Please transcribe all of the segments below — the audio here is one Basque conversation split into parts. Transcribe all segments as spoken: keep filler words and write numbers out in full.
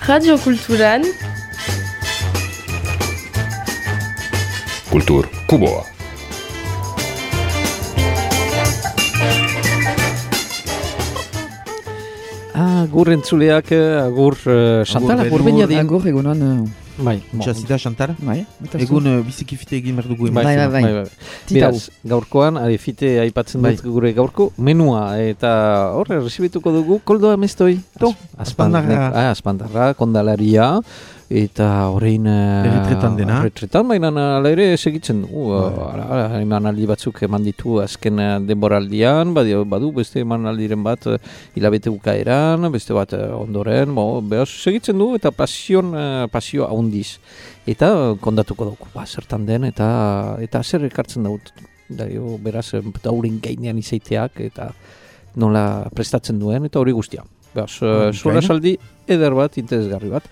Radio Kulturan Kultur Kuboa. Agur entzuleak, agur uh, Chantal, agur Benjadin. Agur egunon. Bai, Txazita, Chantal? Bai. Egun uh, biziki fite egin behar dugu. Bai, bai, bai. Beraz, gaurkoan, adi fite aipatzen dut gure gaurko menua, eta horre, resibituko dugu, koldoa mestoi. To, aspandarra. Ah, aspandarra, kondalaria, eta horrein... Erretretan dena. Erretretan, baina ala ere segitzen du. Emanaldi batzuk eman ditu azken denboraldian, badu, badu beste emanaldiren bat hilabete bukaeran, beste bat ondoren, bo, behaz segitzen du, eta pasion, pasio handiz. Eta kondatuko dugu, ba, zertan den, eta eta zer ekartzen dut. Daio, beraz, daurin gainean izaiteak, eta nola prestatzen duen, eta hori guztia. Behaz, oh, sola saldi eder bat, interesgarri bat.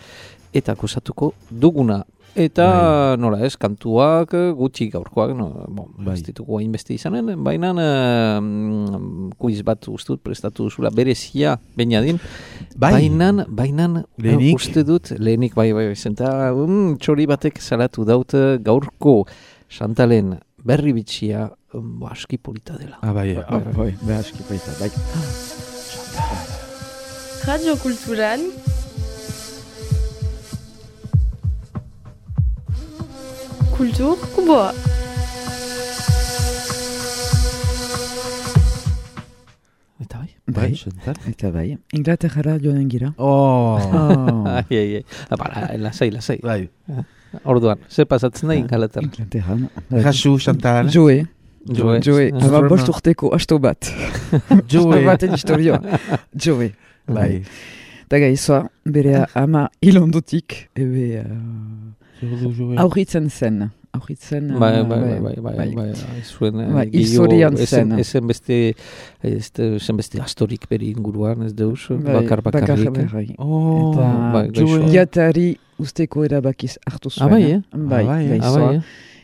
Eta kusatuko duguna. Eta bai. Nola ez, kantuak gutxi gaurkoak, no, bon, bai. Ez ditugu hainbeste izanen, baina uh, kuiz bat ustut prestatu duzula berezia Benjadin. Bai. Bainan, bainan, lehenik. Uste dut, lehenik, bai, bai, zenta, um, txori batek salatu daut gaurko Chantalen berri bitxia, um, aski polita dela. Ah, bai, ah, bai, bai, bai, aski polita, bai. Radio Kulturan Kultur Kuboa. Eta bai? Bai, eta bai. Inglaterra joanen gira. Oh! oh. ai, ai, ai. Abara, lasai, lasai. Bai. Orduan, ze pasatzen da Inglaterra? Inglaterra. Jasu, Chantal. Joe. Joe. Joe. Aba bost urteko asto bat. Joe. Asto baten historioa. Joe. Bai. Eta gaizoa, bere ama hilondotik, ebe... Aurritzen zen, aurritzen... Bai, bai, bai, bai, bai, bai, zuen... Bai, historian zen. Ezen beste, ezen beste astorik beri inguruan, ez deus, bakar bakarrik. Bakar bakarrik. Oh, Jatari usteko erabakiz hartu zuen. Abai, eh? Bai, gaizoa.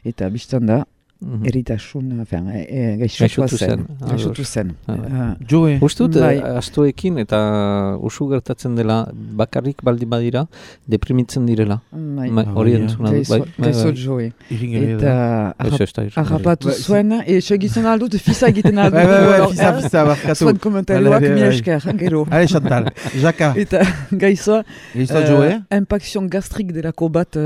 Eta biztan da, Mm-hmm. eritasun, e, gaixotua zen. Gaixotu zen. Uh, Joe. Ustut, bai. Astoekin eta usu gertatzen dela bakarrik baldi badira, deprimitzen direla. Bai. Hori entzuna dut. Gaizo Joe. Eta harrapatu zuen, e, segitzen aldut, fisa egiten aldut. Bai, bai, bai, fisa, fisa, barkatu. Zuen komentarioak mila esker, gero. Ale, Chantal, Jaka. Eta gaizoa, Gaizoa Joe. Impakzion gastrik delako bat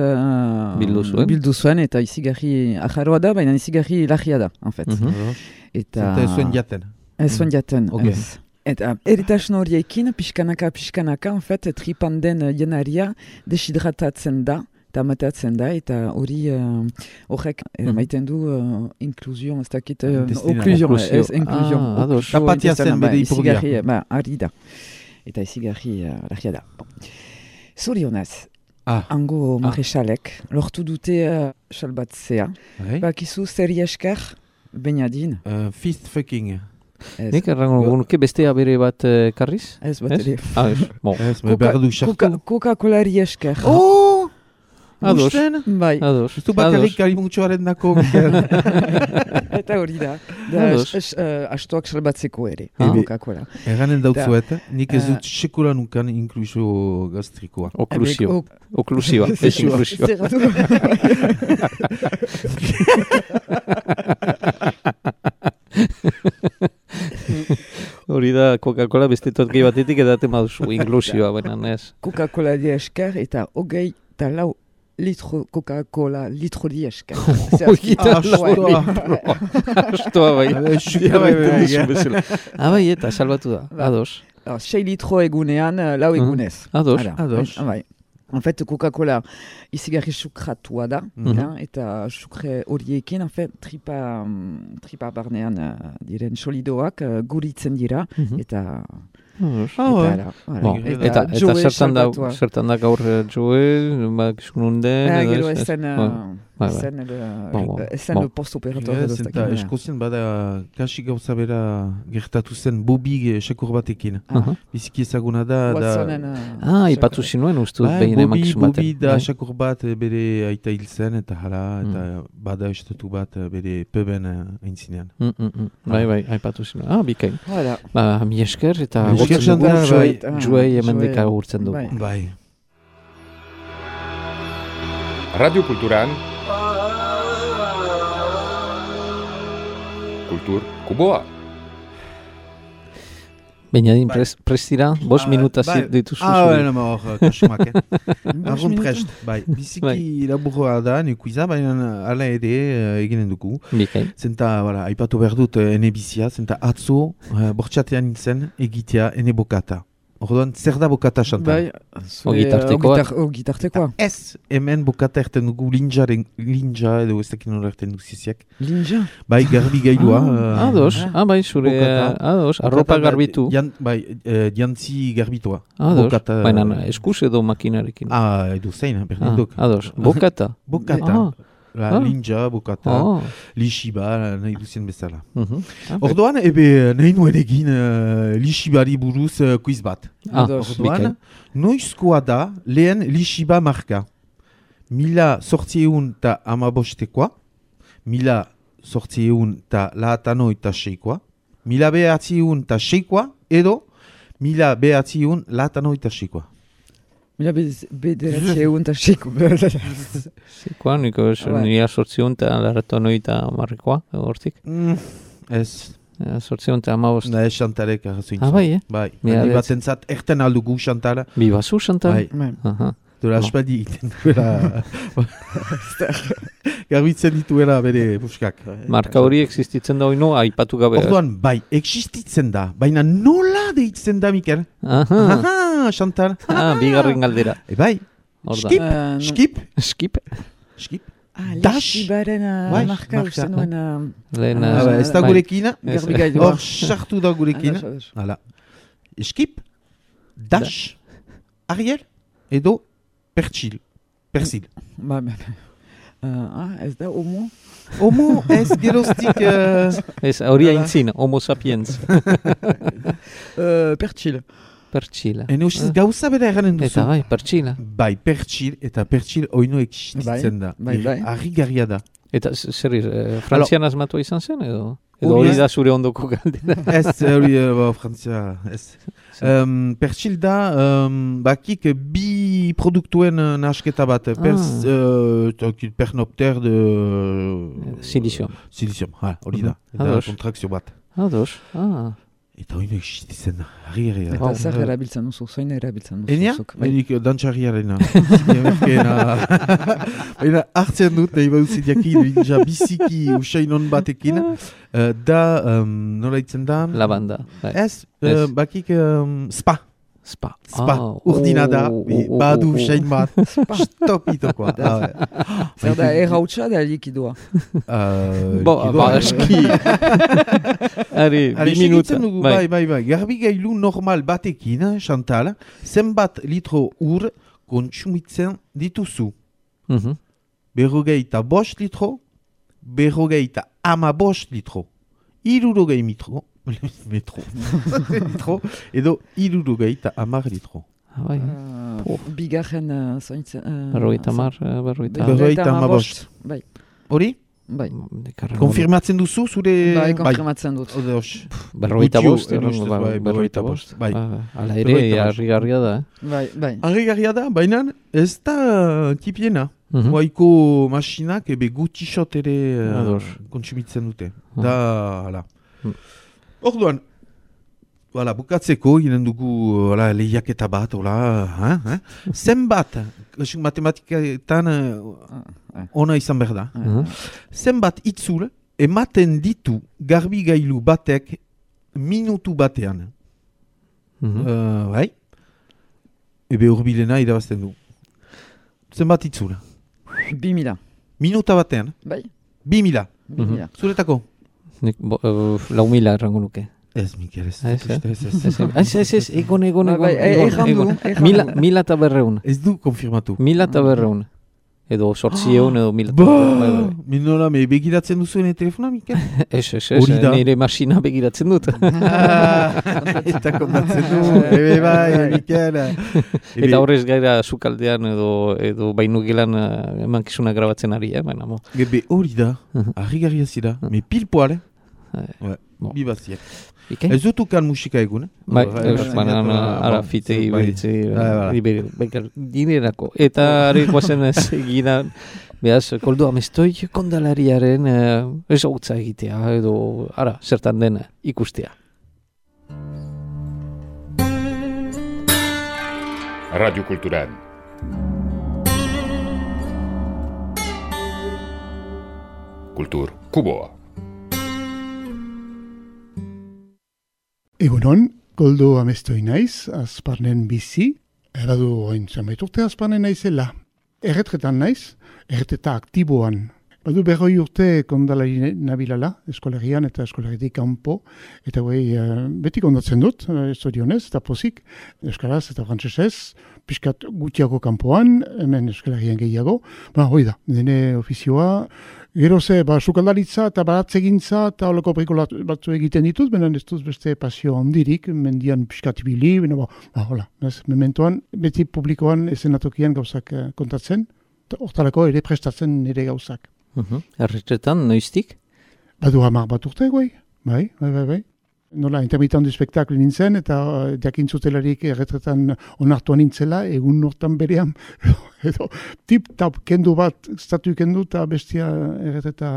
bildu zuen. Bildu zuen, eta izigarri ajaroa da, baina izigarri lagia da, en fait. Mm-hmm. Eta... Zenta ez zuen jaten. Ez zuen jaten, okay. ez. Eta eritasun horiekin, pixkanaka, pixkanaka, en fait, tripan den jenaria deshidratatzen da, eta matatzen da, eta hori horrek uh, maiten du uh, inklusion, ez dakit, uh, oklusion, ez, inklusion. Ah, ados. Tapatia zen bere ipogia. Ba, ari da. Eta izigarri uh, lagia da. Zorionaz. Ah. Ango maresalek, ah. lortu dute uh, salbatzea. Hey. Bakizu zeri esker, Benjadin. Uh, fist fucking. Nik errango gunuke bestea bere bat uh, karriz? Ez bat ere. Ah, ez. Bon. Ez, me behar du xartu. Coca-Colari esker. Oh! Ados. Bai. Ados. Ez du bakarrik kalimutxoaren dako. Eta hori da. Da astoak salbatzeko ere. Coca-Cola. Erranen dautzuet, nik ez dut sekula nukan inklusio gastrikoa. Oklusio. Oklusioa. Ez inklusioa. Hori da Coca-Cola beste totki batetik edaten baduzu inklusioa, baina ez. Coca-Cola di esker eta hogei eta lau litro Coca-Cola litro di esker. Hogei eta lau astoa bai. Ah, bai, eta salbatu da. Ados. Sei litro egunean, lau egunez. Ados. Ados. Bai. En fait, Coca-Cola izigarri sukratua da, mm-hmm. eta sukre horiekin, en fait, tripa, tripa barnean uh, diren solidoak uh, guritzen dira, mm-hmm. eta... Oh, eta, bon, eta, eta, eta zertan da, zertan da gaur Joe, bakizkununden... Ah, gero ezen... Ezen le post-operator. Eskozien bada kasi gauza bera gertatu zen Bobby sekur batekin. Biziki ezaguna da... Ah, ipatu zinuen uste dut behin emakizun baten. Bobby da sekur bat bere aita hil zen eta hala, eta bada estatu bat bere peben aintzinean. Bai, bai, aipatu zinuen. Ah, bikain. Ba, mi esker eta... Esker Joei emendeka urtzen dugu. Bai. Radio Kulturan Kultur Kuboa. Benjadin, pres, prestira, bost minuta bai. dituzu. Ah, bai, nama hor, kasumak, eh? Arrun prest, bai. Biziki laburroa da, nekuiza, baina ala ere uh, eginen dugu. Bikain. Zenta, voilà, aipatu behar dut, ene bizia, zenta atzo, uh, bortxatean nintzen, egitea, ene bokata. Orduan, zer da bokata, Chantal? Bai, O gitartekoa. O gitartekoa. Ez, hemen bokata erten dugu linjaren, linja, edo ez dakin nola erten dugu ziziak. Linja. Bai, garbi gailua. Ah, ados, ah, bai, zure, bokata. ados, arropa garbitu. Jan, bai, uh, jantzi garbitua. Ados, Bokata. baina eskuz edo makinarekin. Ah, edo zein, berdin Ah, duk. ados, bokata. Bokata. Ah. La, Ah. Linja, bokata, Oh. lixiba, nahi duzien bezala. Mhm. Ah, bai. Orduan, ebe, nahi nuen egin uh, lixibari buruz uh, quiz bat. Ah, Ados. Orduan, bikain. noizkoa da lehen lixiba marka. Mila sortzieun ta amabostekoa, mila sortzieun ta laatano eta seikoa, mila behatziun ta seikoa, edo mila behatziun laatano eta seikoa. Mila bederatzi egun eta seiko. Zikoa, niko Bai. nire sortzion eta laratu noita marrekoa, hortik. Mm, ez, Sortzion eta amabost. da ez Chantalek arrazoin. Ah, bai, eh? Bai, Mila baina behatzi. batentzat erten aldugu Chantala. Bi bazu, Chantal? Bai. Bai. Aha. Dola Bon. aspaldi egiten duela. Garbitzen dituela bere buskak. Marka hori existitzen da oino, aipatu gabe. Orduan, bai, existitzen da. Baina nola deitzen da, Mikel? Aha. Aha, Chantal. Ah, bigarren galdera. E bai, Orda. skip, Eh, no. skip, Skip. skip. Ah, Dash. lixibaren Bai, marka marka. uste nuen uh, Lehen, Ah, Ah, ba, ez da bai. gurekin, garbi Ez. gailua. hor sartu da gurekin. Ados, ados. Hala. Skip, dash, Ariel, edo pertsil. Persil. Ba, ba, ba. Uh, ah, ez da, homo? Homo ez geroztik... Uh, Ez, hori Hala. aintzin, homo sapiens. Uh, pertsil. Pertsila. Ene usiz gauza bera eranen duzu. Eta bai, pertsila. Bai, pertsil eta pertsil oino existitzen da. bai, bai. Harrigarria da. Eta z- zer, eh, frantzian asmatua izan zen, edo? Edo Hori hori ez. da zure ondoko galdera. Ez, hori, eh, ba, Frantzia, ez. Um, pertsil da, um, bakik bi produktuen uh, nahasketa bat. Pers, uh, pernopter de... Silicium. Silicium, ha, hori da. Mhm. Eta Ados. kontrakzio bat. Ados. Ah. Eta oino existitzen da. Harrigarria Eta da. zer erabiltzen duzu, zoin erabiltzen duzu. Enia? zuk, bai. Enik dantxarriarena. Zinemerkeena. Baina hartzen dut, nahi baduzi diakin, ja biziki usainon batekin. Uh, da, um, nola itzen da? Lavanda. Bai. Ez, Ez. uh, bakik um, spa. Spa. Spa, Ah, urdina da, oh, bi- oh, badu oh, oh. usain bat. Stopitokoa. Ah, bai. Zer da, errautsa da likidoa. Uh, Bo, likidoa. ba, eski. Ari, Hale, bi minuta. segitzen dugu, bai, bai, bai. Garbi gailu normal batekin, Chantal, zenbat litro ur kontsumitzen dituzu. Mhm. Berrogeita bost litro, berrogeita ama bost litro, irurogei mitro, metro, litro, edo irurogeita amar litro. Ah, bai. Uh, bigarren uh, zointzen... Uh, Berrogeita mar, eh, berrogeita... Berrogeita hamabost. Bai, Hori? bai. Dekarren Konfirmatzen duzu zure... Bai, konfirmatzen dut. Odeos. Berrogeita Gutxi, bost, ene errango, ustez, ba- bai, berrogeita berrogeita bost. bost, bai. Ah, Hala ere, Berrogeita bost. harrigarria da, eh? Bai, bai. Harrigarria da, baina ez da tipiena. Mhm. Moaiko masinak ebe gutxixot ere uh, Ados. kontsumitzen dute. Ah. Da, hala. Mm. Orduan, voilà, bukatzeko, ginen dugu voilà, lehiaketa bat, hola, hein, hein? Zenbat, kasu matematiketan uh, ona izan behar da. Mhm. Zenbat itzul ematen ditu garbi gailu batek minutu batean. Mhm. Uh, bai? Ebe urbilena irabazten du. Zenbat itzul? Bi mila. Minuta batean. Bai, Bi mila. bi Mhm. mila. Zuretako? Nik, bo, uh, lau mila errango nuke. Ez, Mikel, ez. Ez, eh? ez, ez, ez. Ez, ez, ez, ez, egon, egon, Bai, egon, bai, e- egon, erran du, egon. erran Mila, du. mila eta berreun. Ez du konfirmatu. Mila eta berreun. Edo sortzieun, edo mila eta Ba, berreun. Bai, bai. Minola, me begiratzen duzu ene telefona, Mikel? Ez, ez, ez, Hori da. nire masina begiratzen dut. Ah, eta kontatzen du, ebe bai, Mikel. Ebe- Eta horrez gaira sukaldean edo, edo bainu gelan uh, emankizuna grabatzen ari, eh, baina mo. Ebe hori da, Mhm. harrigarria zira, me pilpoal, Eh, bon. Bi baziak. Ike? Ez dut ukan musika egun, eh? Bai, Bai, eus, bai, baina bai, ara bai, fite bai, iberitze, bai, bai. dinerako. Eta ari guazen ez eginan, behaz, koldo amestoi kondalariaren eh, ezagutza egitea, edo, ara, zertan den ikustea. Radio Cultural. Kultur Kuboa. Egunon, Koldo amestoi naiz, azparnen bizi, eradu oin zamait urte azparnen naizela. Erretretan naiz, erretreta aktiboan. Badu berroi urte kondalari nabilala, eskolarian eta eskolaritik kanpo, eta guai beti kondatzen dut, estorionez eta pozik, euskaraz eta frantsesez, pixkat gutiago kanpoan, hemen eskolarian gehiago. Ba, hoi da, dene ofizioa, gero ze, ba, sukaldaritza eta baratzegintza eta holako perikola batzu egiten ditut, benen ez duz beste pasio handirik, mendian pixkat ibili, bena, ba, ba, hola, ez, mementoan, beti publikoan esenatokian gauzak eh, kontatzen, eta hortarako ere prestatzen nire gauzak. Uh-huh. Erretretan, noiztik? Badu hamar bat urte, guai, bai, bai, bai, bai. Nola, intermitan du spektakl nintzen, eta uh, jakintzutelarik erretretan onartuan nintzela, egun nortan berean, edo tip-tap kendu bat, statu kendu, eta bestia erretreta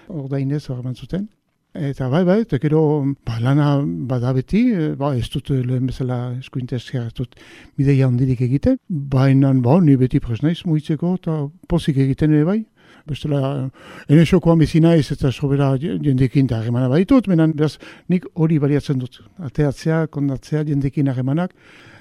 ordainez horreman zuten. Eta bai, bai, eta gero ba, lana bada beti, ba, ez dut lehen bezala eskuinte esker, ez dut bideia handirik egiten, baina ba, ni beti presnaiz muitzeko, eta pozik egiten ere bai. Bestela, ene xokoan bizina ez eta sobera jendekin da harremana baitut, menan beraz nik hori baliatzen dut. Ateatzea, kondatzea jendekin harremanak.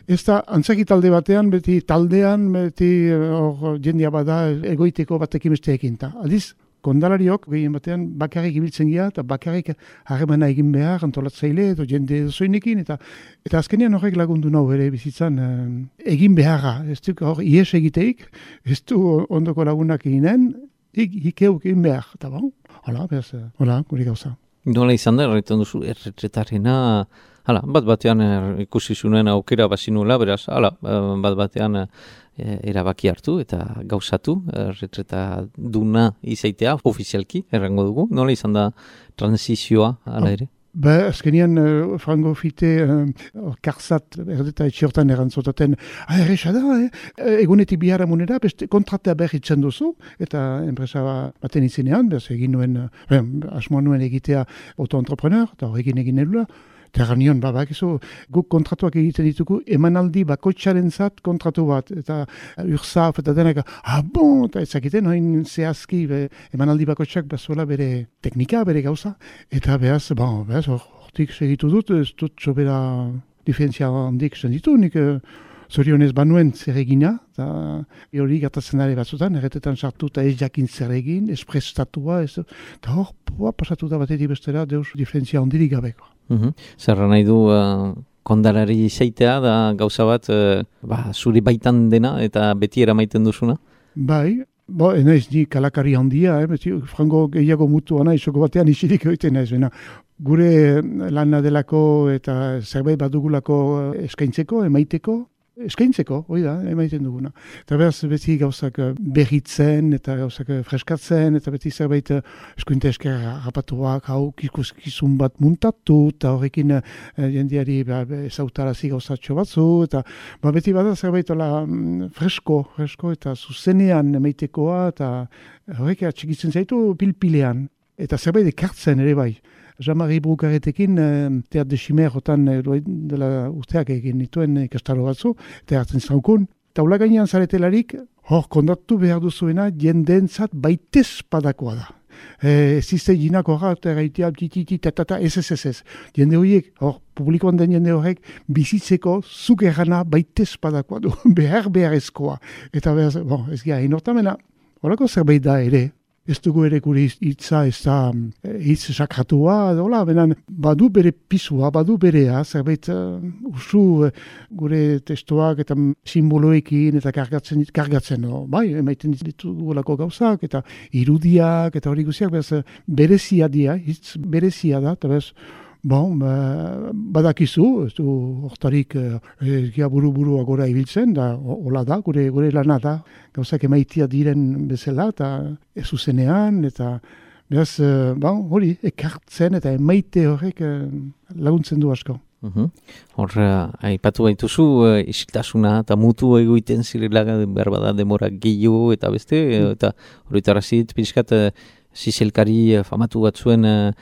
Ez da, antzaki talde batean, beti taldean, beti hor jendia bada egoiteko batekin besteekin. Ta. Aldiz, kondalariok gehien batean bakarrik ibiltzen gira eta bakarrik harremana egin behar antolatzaile edo jende zoinekin eta eta azkenean horrek lagundu nau ere bizitzan eh, egin beharra. Ez du hor ies egiteik, ez du ondoko lagunak eginen, Ik, ikeuk egin behar, eta bon, hola, behaz, hola, guri gauza. Nola izan da, erretan duzu, erretretarena, hala, bat batean er, ikusi zuen aukera bazinula, beraz, hala, bat batean e, erabaki hartu eta gauzatu, erretreta duna izaitea, ofizialki, errango dugu. Nola izan da transizioa, hala ere? Ba, azkenian, uh, frango fite, uh, karzat, erdeta etxiortan erantzotaten, ah, erresa da, eh? Egunetik bihara munera, beste kontratea berritzen duzu, eta enpresa baten izinean, bez egin nuen, uh, asmoan nuen egitea auto-entrepreneur, eta horrekin egin edula, eta nion, ba, bakizu, guk kontratuak egiten ditugu, emanaldi bakoitzaren zat kontratu bat, eta urzaf, eta denak, ah, bon, eta ezakiten, hain zehazki, be, emanaldi bakoitzak bazuela bere teknika, bere gauza, eta behaz, bon, behaz, hortik segitu dut, ez dut sobera diferentzia handik senditu, nik zorionez banuen zer egina, eta hori gertatzen dara batzutan, erretetan sartu eta ez jakin zer egin, ez prestatua, ez, eta hor, poa, pasatu da batetik bestera, deus diferentzia handirik gabeko. Uh-huh. Zerra nahi du uh, kondalari izaitea da gauza bat uh, ba, zuri baitan dena eta beti eramaiten duzuna? Bai, bo, enaiz ni kalakari handia, eh, beti, frango gehiago mutua nahi, soko batean isirik egiten naiz, bena. Gure lana delako eta zerbait badugulako eskaintzeko, emaiteko, eskaintzeko, hoi da, emaiten duguna. Eta behaz, beti gauzak berritzen, eta gauzak freskatzen, eta beti zerbait eskuinte esker rapatuak, hau kizun bat muntatu, eta horrekin eh, jendeari ba, ezautarazi gauzatxo batzu, eta ba, beti bada zerbait ola, fresko, fresko, eta zuzenean emaitekoa, eta horrek atxikitzen zaitu pilpilean. Eta zerbait ekartzen ere bai. Jean-Marie Brukaretekin Teat de Chimer hotan dela urteak egin dituen ikastaro batzu, eta hartzen zaukun. Eta ula gainean zaretelarik, hor kondatu behar duzuena jendeentzat baitez padakoa da. Ez izte jinako horra, eta gaitea, tititi, tatata, ez ez ez ez. Jende horiek, hor, publikoan den jende horrek, bizitzeko zuk errana baitez padakoa du, behar beharrezkoa. Eta behar, bon, ez gira, inortamena, horako zerbait da ere. Ez dugu ere gure hitza, ez da hitz sakratua, dola, benan, badu bere pisua, badu berea, zerbait uh, usu uh, gure testuak eta simboloekin eta kargatzen, kargatzen no? Bai, emaiten ditugulako gauzak, eta irudiak, eta hori guziak, bez, berezia dia, hitz berezia da, eta bez, bon, badakizu, ez du hortarik egia buru-buru agora ibiltzen, da hola da, gure, gure lana da, gauzak emaitia diren bezala, eta ez zuzenean, eta Beraz, uh, ba, hori, ekartzen eta emaite horrek uh, laguntzen du asko. Uhum. Hor, uh, aipatu baituzu, uh, isiltasuna eta mutu egoiten zirela behar bada demora gehiago eta beste, mm. eta horretarazit pixkat uh, zizelkari uh, famatu batzuen uh,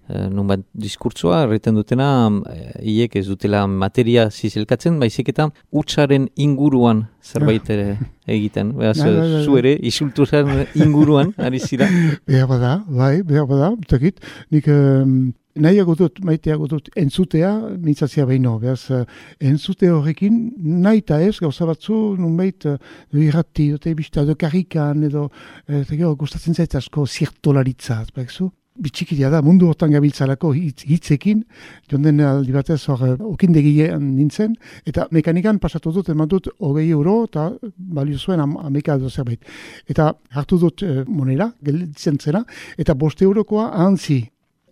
uh, nonbat diskurtsoa, erreten dutena, uh, hiek ez dutela materia zizelkatzen, baizik eta hutsaren inguruan zerbait ere egiten. Beraz, uh, zu ere, isilturan inguruan, ari zira? Behar bada, bai, behar bada, utakit, nik... Um, Nahiago dut, maiteago dut, entzutea, mintzatzea behin beraz, uh, entzute horrekin, nahi eta ez, gauza batzu, nunbait, uh, irrati, dute bizta, edo karrikan, edo, eta gero, gustatzen zait asko zirtolaritza, bekzu? Bitxikiria da, mundu hortan gabiltzalako hitz, hitzekin, jonden aldi batez hor, okindegien nintzen, eta mekanikan pasatu dut, eman dut, hogei euro, eta balio zuen am, ameka edo zerbait. Eta hartu dut uh, monera, gelditzen zena, eta boste eurokoa ahantzi.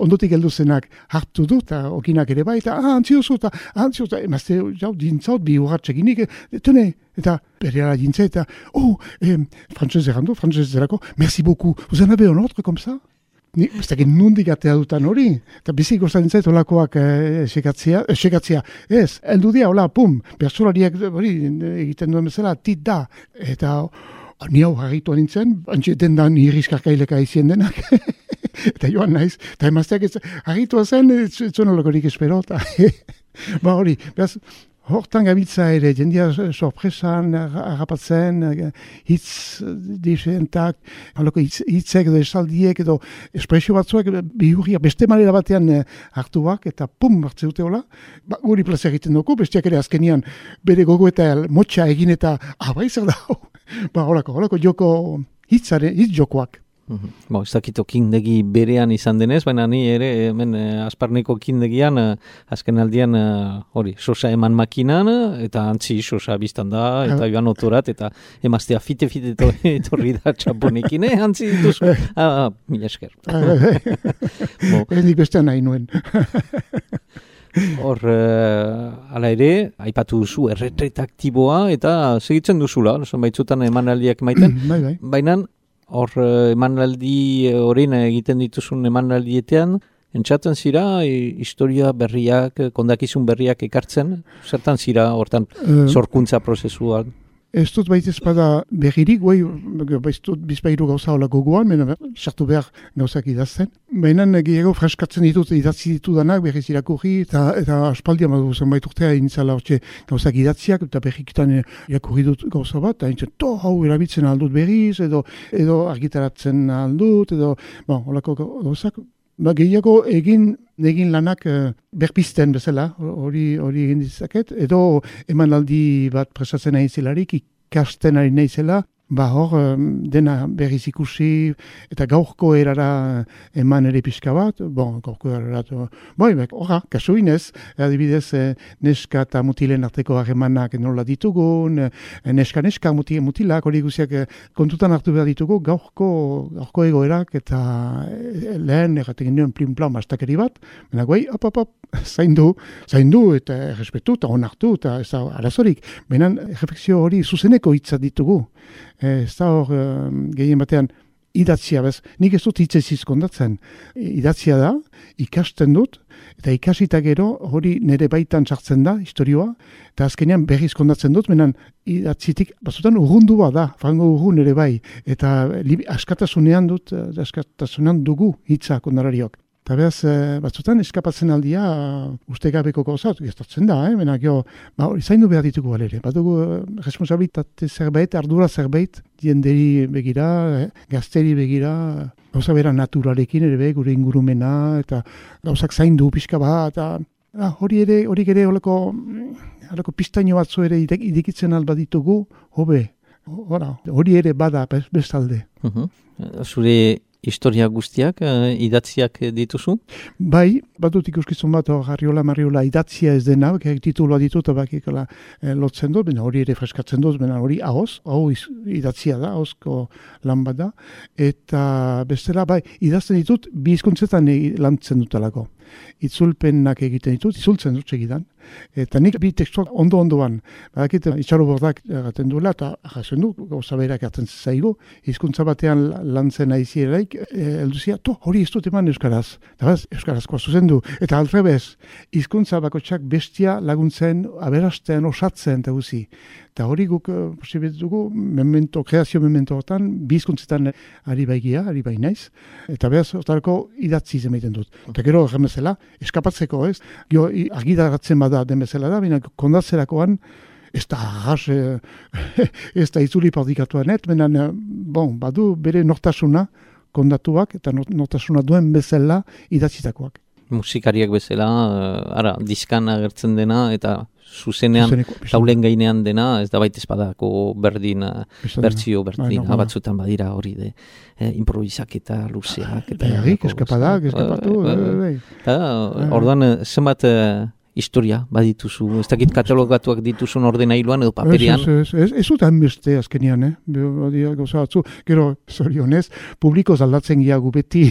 Ondotik heldu zenak hartu du, eta okinak ere bai, eta ah, antziozu, eta antziozu, eta emazte, jau, dintzaut, bi urratxekinik, tene, eta berera dintza, eta, oh, eh, frantzez errandu, frantzez erako, merci beaucoup, vous en avez un autre, comme ça? Ni, ez dakit nundik atea dutan hori, eta bizik gozaren zait olakoak esekatzea, eh, esekatzea, ez, heldu dia, hola, pum, pertsolariak hori egiten duen bezala, tit da, eta ni hau harritu nintzen, antxe dendan irriskarkaileka izien denak, eta joan naiz, eta emazteak ez, harritua zen, ez zuen olakorik espero, eta ba hori, behaz, hortan gabiltza ere, jendia sorpresan, harrapatzen, hitz diferentak, halako hitzek edo esaldiek edo espresio batzuak bihurriak beste manera batean hartuak, eta pum, hartze dute hola, ba, guri plaza egiten dugu, bestiak ere azkenian bere gogo eta motxa egin eta, ah, bai zer da, ba, holako, holako joko hitzare, hitz jokoak. Mm-hmm. Bo, ez dakito kindegi berean izan denez, baina ni ere hemen eh, asparneko kindegian eh, azken aldian hori, eh, sosa eman makinan eta antzi sosa biztan da eta joan otorat eta emaztea fite-fite etorri da txaponekin, eh, antzi dituzu. Ah, ah, mila esker. Ez nik bestean nahi nuen. Hor, uh, ala ere, aipatu duzu erretretaktiboa eta segitzen duzula, baitzutan emanaldiak maiten, bai, bai. Baina hor emanaldi horrein egiten dituzun emanaldietean, entzaten zira historia berriak, kondakizun berriak ekartzen, zertan zira hortan sorkuntza prozesuan? Ez dut baita espada berririk, guai, baiztut bizpairu gauza hola gogoan, mena sartu behar gauzak idazten. Baina gehiago freskatzen ditut, idatzi ditudanak, berriz irakurri, eta, eta aspaldian badu zenbait urtea intzala hortxe gauzak idatziak, eta berrikitan irakurri dut gauza bat, eta intzen, to, hau erabiltzen aldut berriz, edo, edo argitaratzen aldut, edo, bon, holako gauzak. Ba, gehiago egin egin lanak uh, berpisten bezala, hori hori egin ditzaket, edo emanaldi bat presatzen nahi zelarik, ikasten ari nahi zela, ba hor um, dena berriz ikusi, eta gaurko erara eman ere pixka bat, bon, gaurko erara, boi, horra, kasu inez, adibidez, eh, neska eta mutilen arteko harremanak nola ditugun, eh, neska-neska mutil, mutilak, hori guziak eh, kontutan hartu behar ditugu, gaurko, gaurko egoerak, eta eh, lehen erraten genuen plin-plan bastakeri bat, mena guai, hop, hop, hop, zaindu, zaindu, eta errespetu, eta onartu, eta ez da arazorik, benen refleksio hori zuzeneko hitza ditugu, ez da hor gehien batean idatzia bez, nik ez dut hitzez izkondatzen, idatzia da, ikasten dut, eta ikasita gero hori nire baitan sartzen da, historioa, eta azkenean berriz kondatzen dut, menan idatzitik, batzutan urrundua da, frango urrun ere bai, eta askatasunean dut, askatasunean dugu hitza kondarariok. Eta behaz, batzutan eskapatzen aldia ustegabeko gauzat, gestatzen da, eh? Mena, gero, ba, zaindu behar ditugu alere. Badugu responsabilitate zerbait, ardura zerbait, jenderi begira, eh? Gazteri begira, gauza bera naturalekin ere be, gure ingurumena, eta gauzak zaindu pixka bat, eta ah, hori ere, hori ere, holako, holako pistaino batzu ere idikitzen alba ditugu, hobe, hori ere bada bestalde. Uh-huh. Zure historia guztiak, uh, idatziak dituzu? Bai, badut ikuskizun bat Arriola Mariola idatzia ez dena, kek titulua ditut, bakikola eh, lotzen dut, bena hori ere freskatzen dut, bena hori ahoz, hau idatzia da, ahozko lan bat da, eta bestela, bai, idazten ditut, bi hizkuntzetan lantzen dutelako. itzulpenak egiten ditut, itzultzen dut segidan. Eta nik bi testuak ondo-ondoan, badakit itxaro bordak erraten duela, eta jasen du, gauza berak hartzen zaigu, hizkuntza batean lantzen aizieraik, elduzia, to, hori ez dut eman euskaraz, eta bez, euskarazkoa zuzendu, eta altrebez, hizkuntza bakotxak bestia laguntzen, aberasten, osatzen, eta guzi. Eta hori guk posibet dugu, memento, kreazio memento hortan, bi hizkuntzetan ari baigia, ari bainaiz, eta behaz, hortarako idatzi emaiten dut. Eta gero, erren bezala, eskapatzeko, ez? Gio, agidaratzen bada den bezala da, baina kondatzerakoan, ez da arras, ez da itzuli pardikatuanet, benen, bon, badu bere nortasuna kondatuak, eta nortasuna duen bezala idatzitakoak. Musikariak bezala, ara, diskan agertzen dena, eta zuzenean, taulen gainean dena, ez da baita espadako berdin, bertzio berdin, batzutan badira hori de, eh, improvisak eta luzeak. Eta Erik, eskapadak, eskapatu. Orduan, zenbat historia badituzu, ez dakit katalogatuak dituzun ordenailuan edo paperian. Ez, ez, ez, ez dut hainbeste azkenian, eh? Badia gauza batzu, gero, zorionez, publiko zaldatzen giagu beti,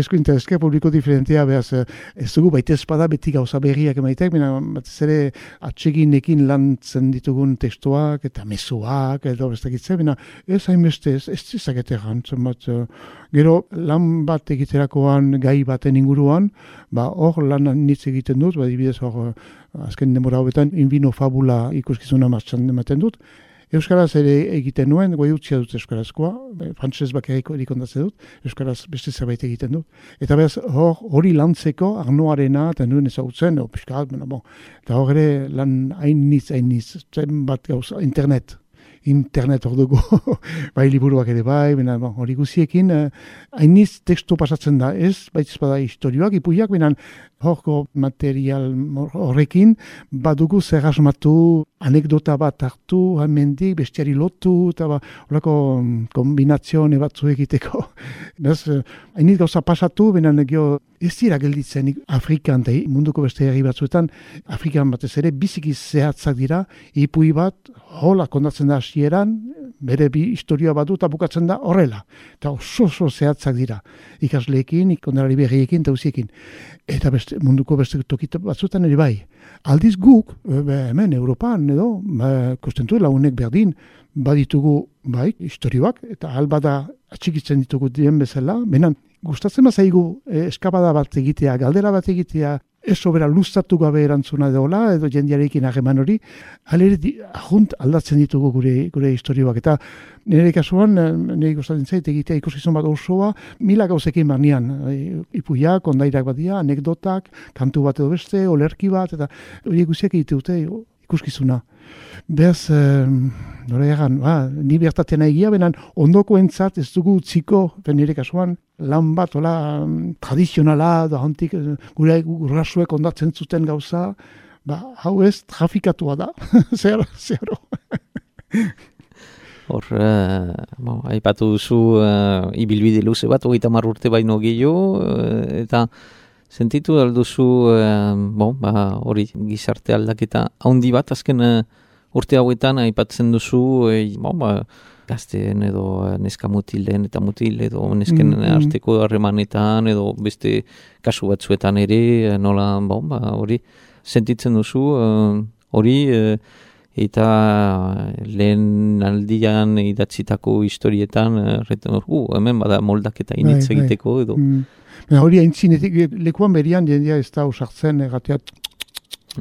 eskuinta eske, publiko diferentea, behaz, ez dugu baita espada beti gauza berriak emaitek, baina batez ere atseginekin lantzen ditugun testuak, eta mezuak, edo bestakitzen, baina ez hainbeste, ez, ez ezakete gantzen bat, gero, lan bat egiterakoan gai baten inguruan, ba, hor lan nitz egiten dut, ba, dibidez hor, azken denbora hobetan, Invino Fabula ikuskizuna martxan ematen dut. Euskaraz ere egiten nuen, goi utzia dut euskarazkoa, frantzez bakariko erikondatze dut, euskaraz beste zerbait egiten dut. Eta behaz, hor, hori lantzeko, Arnoarena, eta nuen ezagutzen, o, piskat, bueno, bon. Eta hor ere, lan hainiz, hainiz, zen bat gauza, internet. Internet hor dugu, bai liburuak ere bai, bena, bon, hori guziekin, hainiz eh, tekstu pasatzen da, ez, baitz bada historioak, ipuiak, bena, horko material horrekin, badugu zer asmatu, anekdota bat hartu, hemendik, bestiari lotu, eta ba, horako kombinazione batzu egiteko. Bez, hainiz gauza pasatu, bena, gio, ez dira gelditzen Afrikan, eta munduko beste herri batzuetan, Afrikan batez ere, biziki zehatzak dira, ipui bat, hola kondatzen da hasieran, bere bi historia badu eta bukatzen da horrela. Eta oso oso zehatzak dira. Ikasleekin, ikondarari berriekin, eta uziekin. Eta beste, munduko beste tokita batzuetan ere bai. Aldiz guk, be, hemen, Europan, edo, kostentu launek berdin, baditugu, bai, historioak, eta albada atxikitzen ditugu dien bezala, benan, gustatzen bazaigu eh, eskapada bat egitea, galdera bat egitea, ez sobera luztatu gabe erantzuna deola, edo jendiarekin hageman hori, alere ahunt aldatzen ditugu gure, gure historioak. Eta nire kasuan, nire gustatzen zait egitea ikuskizun bat osoa, mila gauzekin barnean, ipuiak, ondairak badia, anekdotak, kantu bat edo beste, olerki bat, eta hori guziak egite dute ikuskizuna. Beaz, eh, nora egan, ba, ni bertatzen egia, benan ondoko entzat ez dugu utziko, nire kasuan, lan bat, hola, tradizionala, da hantik, gure gurrasuek ondatzen zuten gauza, ba, hau ez, trafikatua da, zeharo, zeharo. Hor, uh, bo, aipatu duzu uh, ibilbide luze bat, hogeita hamar urte baino gehiago, uh, eta sentitu alduzu, uh, bo, ba, hori gizarte aldaketa handi bat, azken uh, urte hauetan aipatzen duzu, eh, bo, ba, gazteen edo neska mutilen eta mutil edo nesken mm, arteko harremanetan edo beste kasu batzuetan ere, nola, bo, ba, hori sentitzen duzu, uh, hori, uh, eta lehen aldian idatzitako historietan, uh, uh, hemen bada moldaketa initz egiteko edo. Mm. Hori haintzinetik, lekuan berian jendia ez da usartzen egateat,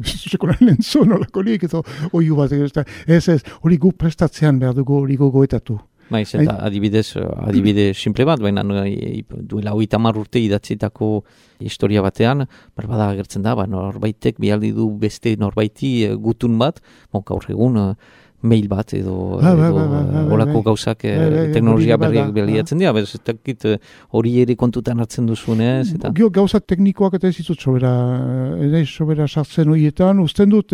sekoran lentzun olakorik, edo oiu bat, ez ez, hori gu prestatzean behar dugu hori gogoetatu. Maiz, eta adibidez, adibide simple bat, baina duela hogeita hamar urte idatzitako historia batean, berbada agertzen da, ba, norbaitek bialdi du beste norbaiti gutun bat, gaur egun mail bat edo horako gauzak teknologia berriak baliatzen dira, bez, ez dakit hori ere kontutan hartzen duzunez. Eta... Gio gauza teknikoak eta ez ditut sobera, ez sobera sartzen horietan, usten dut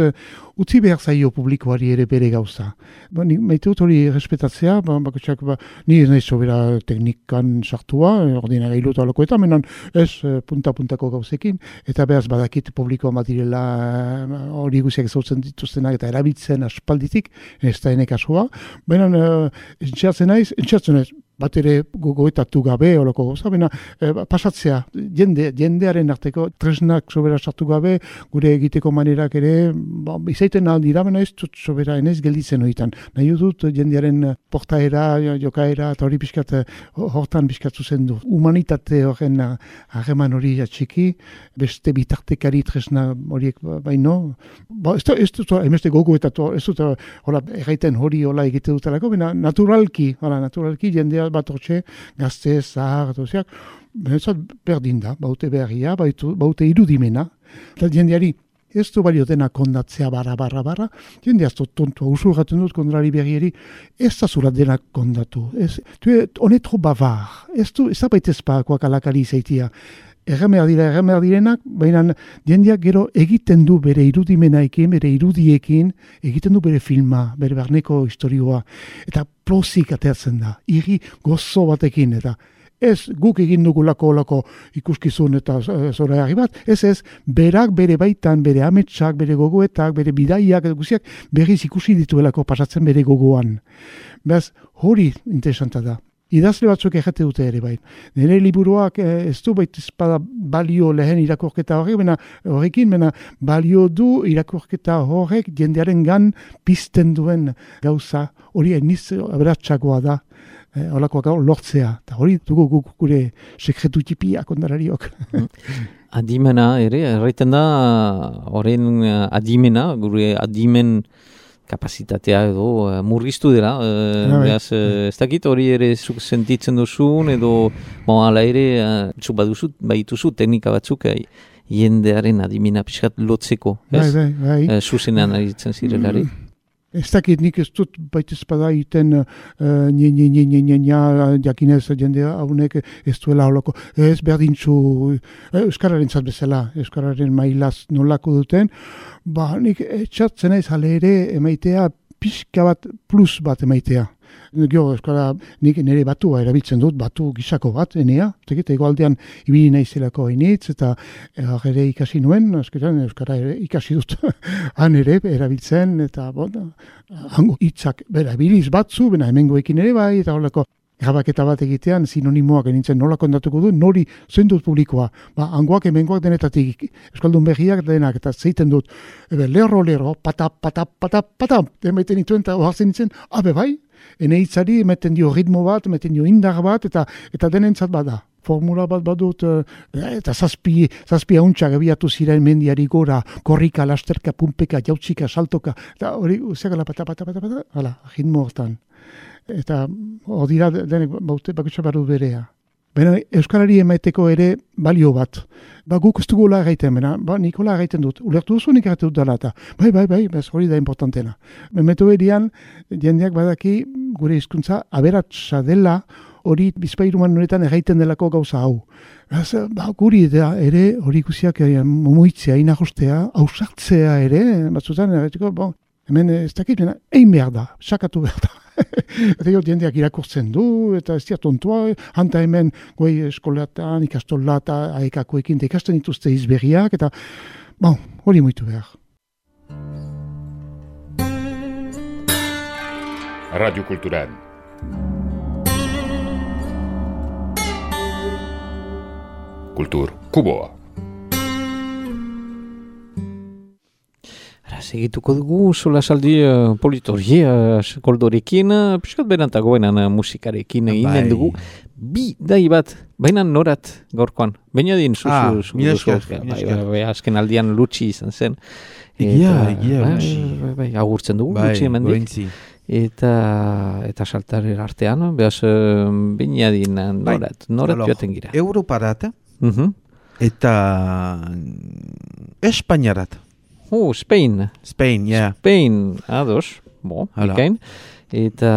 utzi behar zaio publikoari ere bere gauza. Ba, ni maite dut hori respetatzea, ba, bakotxak, ba, ni ez nahi sobera teknikan sartua, ordinagailu eta halakoetan, menan ez punta-puntako gauzekin, eta behaz badakit publikoa bat direla hori guziak ezautzen dituztenak eta erabiltzen aspalditik, ez da ene kasua, baina uh, entxatzen naiz, entxatzen naiz, bat ere gogoetatu gabe, olako gauza, baina e, pasatzea, jende, jendearen arteko tresnak sobera sartu gabe, gure egiteko manerak ere, ba, izaiten aldira, baina ez dut sobera enez gelditzen horietan. Nahi dut jendearen portaera, jokaera, eta hori pixkat, hortan pixkat zuzendu. Humanitate horren harreman hori atxiki, beste bitartekari tresna horiek baino, ba, ez dut, ez dut, emeste gogoetatu, ez dut, hola, erraiten hori hola egite dutelako, baina naturalki, hola, naturalki jendea bat hortxe, gazte, zahar, doziak, benetzat berdin da, baute beharria, baute irudimena, eta jendeari ez du balio dena kondatzea barra, barra, barra, jende azto tontua, usurraten dut kondrari berrieri, ez da zura dena kondatu, ez, tu honetro bavar, ez du, ez da baitezpakoak alakari izaitia, erremer dira, erremer direnak, baina jendeak gero egiten du bere irudimenaekin, bere irudiekin, egiten du bere filma, bere barneko historioa, eta plozik ateatzen da, irri gozo batekin, eta ez guk egin dugulako olako ikuskizun eta zora jarri bat, ez ez, berak bere baitan, bere ametsak, bere gogoetak, bere bidaiak, guziak, berriz ikusi dituelako pasatzen bere gogoan. Beraz, hori interesanta da. Idazle batzuk errate dute ere bai. Nire liburuak eh, ez du baita espada balio lehen irakurketa horrek, bena horrekin, bena balio du irakurketa horrek jendearen gan pizten duen gauza, hori eniz aberatsagoa da, eh, holakoak lortzea, eta hori dugu guk gure sekretu tipiak ondarariok. Adimena ere, erraiten da, horren adimena, gure adimen kapazitatea edo uh, murriztu dela, uh, behaz, uh, ez dakit hori ere zuk sentitzen duzun, edo bon, ala ere, uh, zuk baduzu, baituzu teknika batzuk, uh, jendearen adimina pixkat lotzeko, ez? Bai, bai, bai. Uh, zuzenean aritzen zirelari. Ez dakit nik ez dut baita espada iten nye, nye, nye, nye, nye, nye, jakinez jendea haunek ez duela holako. Ez berdintzu, Euskararen zat bezala, Euskararen mailaz nolako duten, ba nik etxatzen ez hale ere emaitea pixka bat plus bat emaitea. Gio, Euskara, nik nire batua erabiltzen dut, batu gisako bat, enea, tekit, egoaldean ibili naizelako hainitz, eta ere ikasi nuen, azkeran Euskara ere ikasi dut, han ere erabiltzen, eta bon, hango hitzak bera, biliz batzu, bena hemengoekin ere bai, eta horrelako grabaketa bat egitean sinonimoak enintzen nola kontatuko du, nori zein dut publikoa. Ba, hangoak hemengoak denetatik, Euskaldun berriak denak, eta zeiten dut, ebe, lerro, lerro, patap, patap, patap, patap, emaiten dituen, eta ohartzen nintzen, abe bai, ene hitzari emeten dio ritmo bat, emeten dio indar bat, eta eta denentzat bada. Formula bat badut, eta zazpi, zazpi hauntxak abiatu ziren mendiari gora, korrika, lasterka, pumpeka, jautzika, saltoka, eta hori, uziakala, pata, pata, pata, pata, hala, ritmo hortan. Eta hori dira denek baute bakutsa barru berea. Baina Euskarari emaiteko ere balio bat. Ba guk ez dugu gaiten, bena, ba Nikola gaiten dut. Ulertu duzu nik erratu dut dela eta. Bai, bai, bai, bez hori da importantena. Memetu erian, jendeak badaki gure hizkuntza aberatsa dela, hori bizpairuman honetan erraiten delako gauza hau. Beraz, ba, guri da ere hori ikusiak momuitzea, inagostea, ausartzea ere, batzutan erraiteko, bon, hemen ez dakit, egin behar da, sakatu behar da. Eta jo, jendeak irakurtzen du, eta ez dira tontua, hanta hemen goi eskolatan, ikastola eta aekakoekin, eta ikasten dituzte izberriak, eta bon, hori muitu behar. Radio Cultural. Kultur Kuboa. Segituko dugu, sola saldi uh, politorie, uh, koldorekin, uh, piskat berantagoenan uh, musikarekin eginen dugu. Bi dai bat, baina norat gaurkoan. Baina din zuzu. Ah, zuzu, mila zuzu, esker, bai, mila bai, esker. bai, azken aldian lutsi izan zen. Egia, Eta, egia, bai, lutsi. Bai, bai, agurtzen dugu, Bai, lutsi hemendik. gointzi. Eta, eta saltaren artean, behaz, uh, baina din uh, norat, norat Alors, joaten gira. Europarat Mhm. eta Espainiarat. Oh, Spain. Spain, ja. Spain, ados, bo, Hala. ikain. Eta,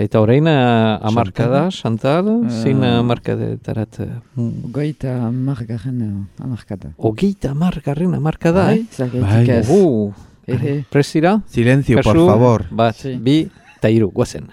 eta orain uh, amarkada, Chantal, zein Eh, amarkadetarat? Uh, Goita margarren amarkada. Ogeita amargarren amarkada, eh? Zergaitik ez. Uh, Ere. Presira? Silencio, por Kasu, favor. Bat, Sí. bi, eta hiru, guazen.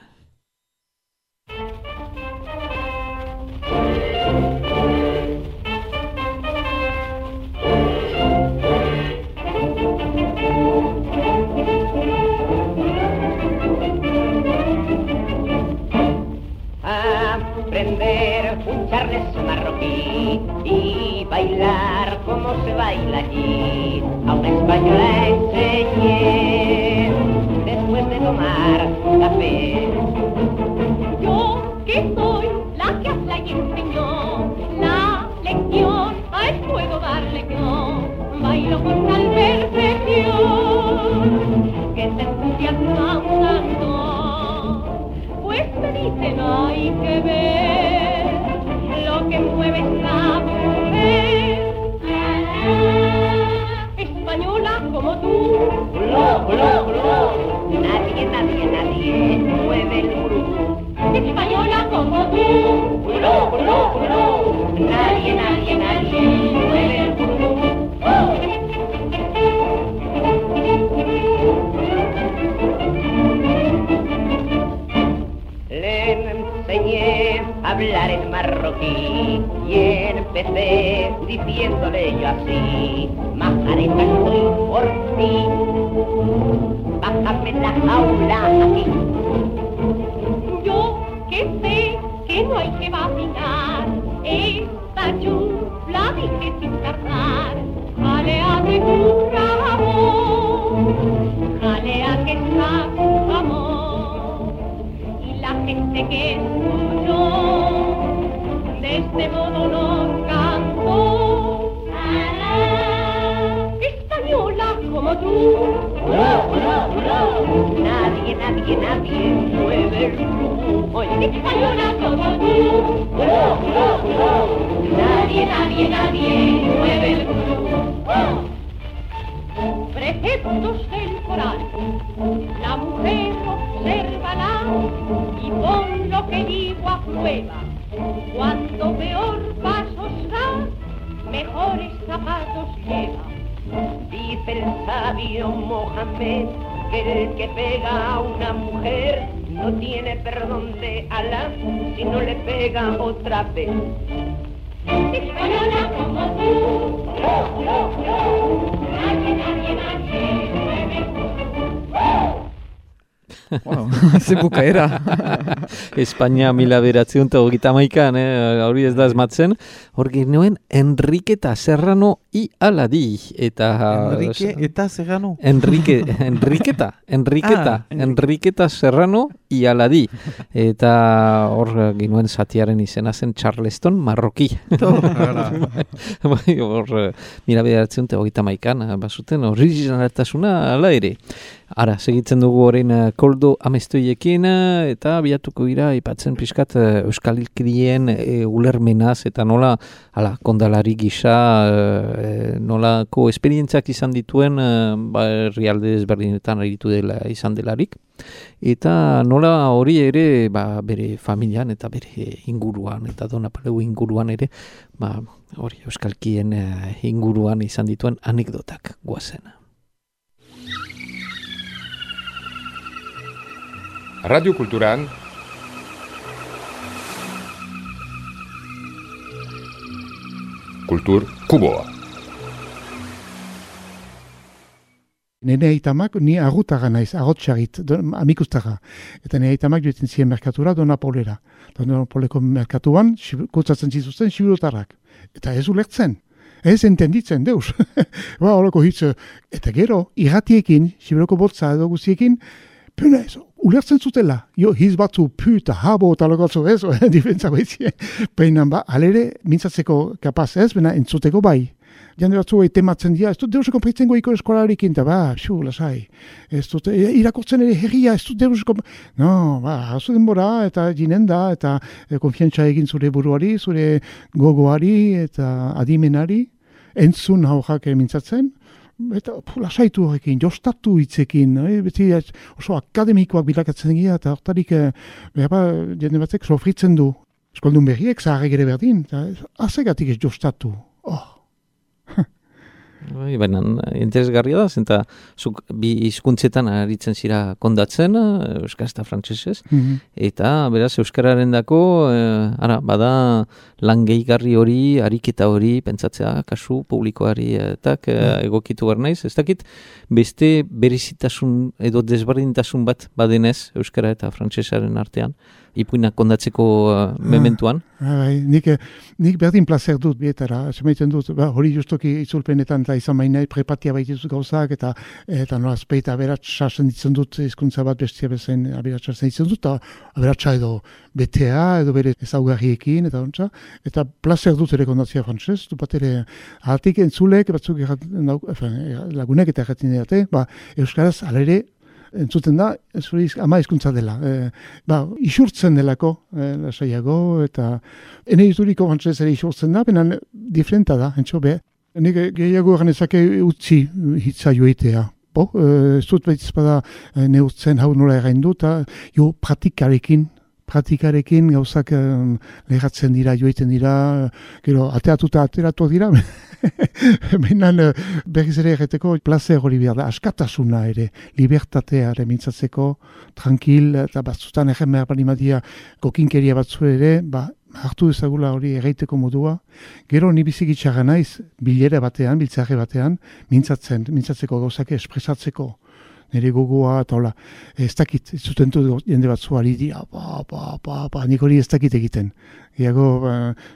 y bailar como se baila allí. A una española enseñé después de tomar café. Yo que soy la que habla y enseñó la lección, a él puedo darle que no, bailo con tal perfección que se entusiasma un tanto. Pues me dicen hay que ver lo que mueve esta mujer española como tú. Blo, blo, blo. Nadie, nadie, nadie mueve el burú. Española como tú. Blo, blo, blo. Nadie, nadie, nadie mueve el burú. ¡Oh! Le enseñé a hablar en marroquí y empecé diciéndole yo así: Majareta, estoy por ti, bájame la jaula aquí. Yo que sé que no hay que vacinar, esta chufla dije sin tardar: jalea de amor, jalea que está amor. La gente que escuchó de este modo nos cantó: española como tú. ¡Bro, bro, bro! Nadie, nadie, nadie mueve el burú. Española como tú. ¡Bro, bro, bro! Nadie, nadie, nadie mueve el burú. ¡Oh! Preceptos del Corán, la mujer obsérvala y pon lo que digo a prueba. Cuando peor pasos da, mejores zapatos lleva. Dice el sabio Mohamed que el que pega a una mujer no tiene perdón de Alá si no le pega otra vez. Española como tú, no, no, no, nadie, nadie, nadie mueve. Wow, ze bukaera. Espainia mila beratzen eta hogeita hamaikan, eh, hori ez da esmatzen. Hor genuen Enriqueta Serrano i Aladi. Eta, Enrique eta Serrano. Enrique, Enriqueta, Enriqueta, Ah, Enriqueta Serrano i Aladi. Eta hor genuen zatiaren izena zen Charleston Marroki. Bai, hor mila beratzen eta hogeita hamaikan, bazuten originaltasuna ala ere. Ara, segitzen dugu horrein uh, koldo amestoiekin uh, eta biatuko gira ipatzen pixkat uh, Euskal Hilkidien uh, ulermenaz eta nola ala, kondalari gisa uh, nolako esperientziak izan dituen uh, ba, herrialde ezberdinetan aritu dela izan delarik. Eta nola hori ere ba, bere familian eta bere inguruan eta Donapaleu inguruan ere ba, hori Euskalkien uh, inguruan izan dituen anekdotak guazen. Radio Kulturan Kultur Kuboa. Nene aitamak, ni agutaga naiz, agotsagit, amikuztaga. Eta nene aitamak joetzen ziren merkatura Donapolera. Donapoleko merkatuan, kutsatzen zizuzten sibirotarrak. Eta ez ulertzen. Ez entenditzen, deus. Ba, horreko hitz. Eta gero, irratiekin, sibiroko botza edo guztiekin, puna ez, ulertzen zutela. Jo, hiz batzu, puta, habo, eta lokatzu ez, difentzako izien. Peinan ba, alere, mintzatzeko kapaz ez, bena entzuteko bai. Jande batzu tematzen dira, ez dut deuseko preitzen goiko eskolarikin, eta ba, xu, lasai. Ez dut, irakortzen ere herria, ez dut deuseko... No, ba, hazu denbora, eta jinen da, eta e, konfiantza egin zure buruari, zure gogoari, eta adimenari, entzun haujak mintzatzen, eta pu, lasaitu horrekin, jostatu hitzekin, eh? Beti oso akademikoak bilakatzen gira, eta hortarik, eh, behar jende batzek sofritzen du. Eskoldun berriek, zaharrek ere berdin, eta azegatik ez jostatu. Oh. Bai, baina interesgarria da, zenta zuk bi hizkuntzetan aritzen zira kondatzen, euskaraz eta frantsesez, Mm-hmm. eta beraz euskararen dako, eh, ara, bada lan gehigarri hori, ariketa hori, pentsatzea, kasu publikoari eta eh, egokitu behar naiz, ez dakit beste berezitasun edo desberdintasun bat badenez euskara eta frantsesaren artean, ipuinak kondatzeko uh, mementuan. Bai, nik, nik berdin placer dut bietara, semaiten dut, ba, hori justoki itzulpenetan eta izan mainai prepatia baitizut gauzak, eta eta nola azpeita aberatsa ditzen dut hizkuntza bat bestia bezain aberatsa ditzen dut, eta aberatsa edo betea, edo bere ezaugarriekin, eta ontsa, eta placer dut ere kondatzea frantzez, du bat ere, ahatik entzulek, batzuk erraten, lagunek eta erraten dira, ba, euskaraz alere, entzuten da, zuri ama hizkuntza dela. E, ba, isurtzen delako, e, lasaiago, eta ene izuriko frantzez ere isurtzen da, benan diferenta da, entxo be. Nik gehiago ganezake utzi hitza joitea. Bo, ez dut behitz bada neurtzen hau nola erraindu, eta jo pratikarekin, pratikarekin gauzak um, lehatzen dira, joiten dira, gero, ateatuta ateratu dira, Behinan berriz ere erreteko placer hori behar da, askatasuna ere, libertatea ere mintzatzeko, tranquil, eta batzutan egen behar bali madia kokinkeria batzu ere, ba, hartu ezagula hori erreiteko modua. Gero ni bizikitxarra naiz, bilera batean, biltzarre batean, mintzatzen, mintzatzeko gauzak espresatzeko. Nire gogoa, eta hola, ez dakit, ez zuten dut jende batzu ari dira, ba, ba, ba, ba, nik hori ez dakit egiten. Iago, ba,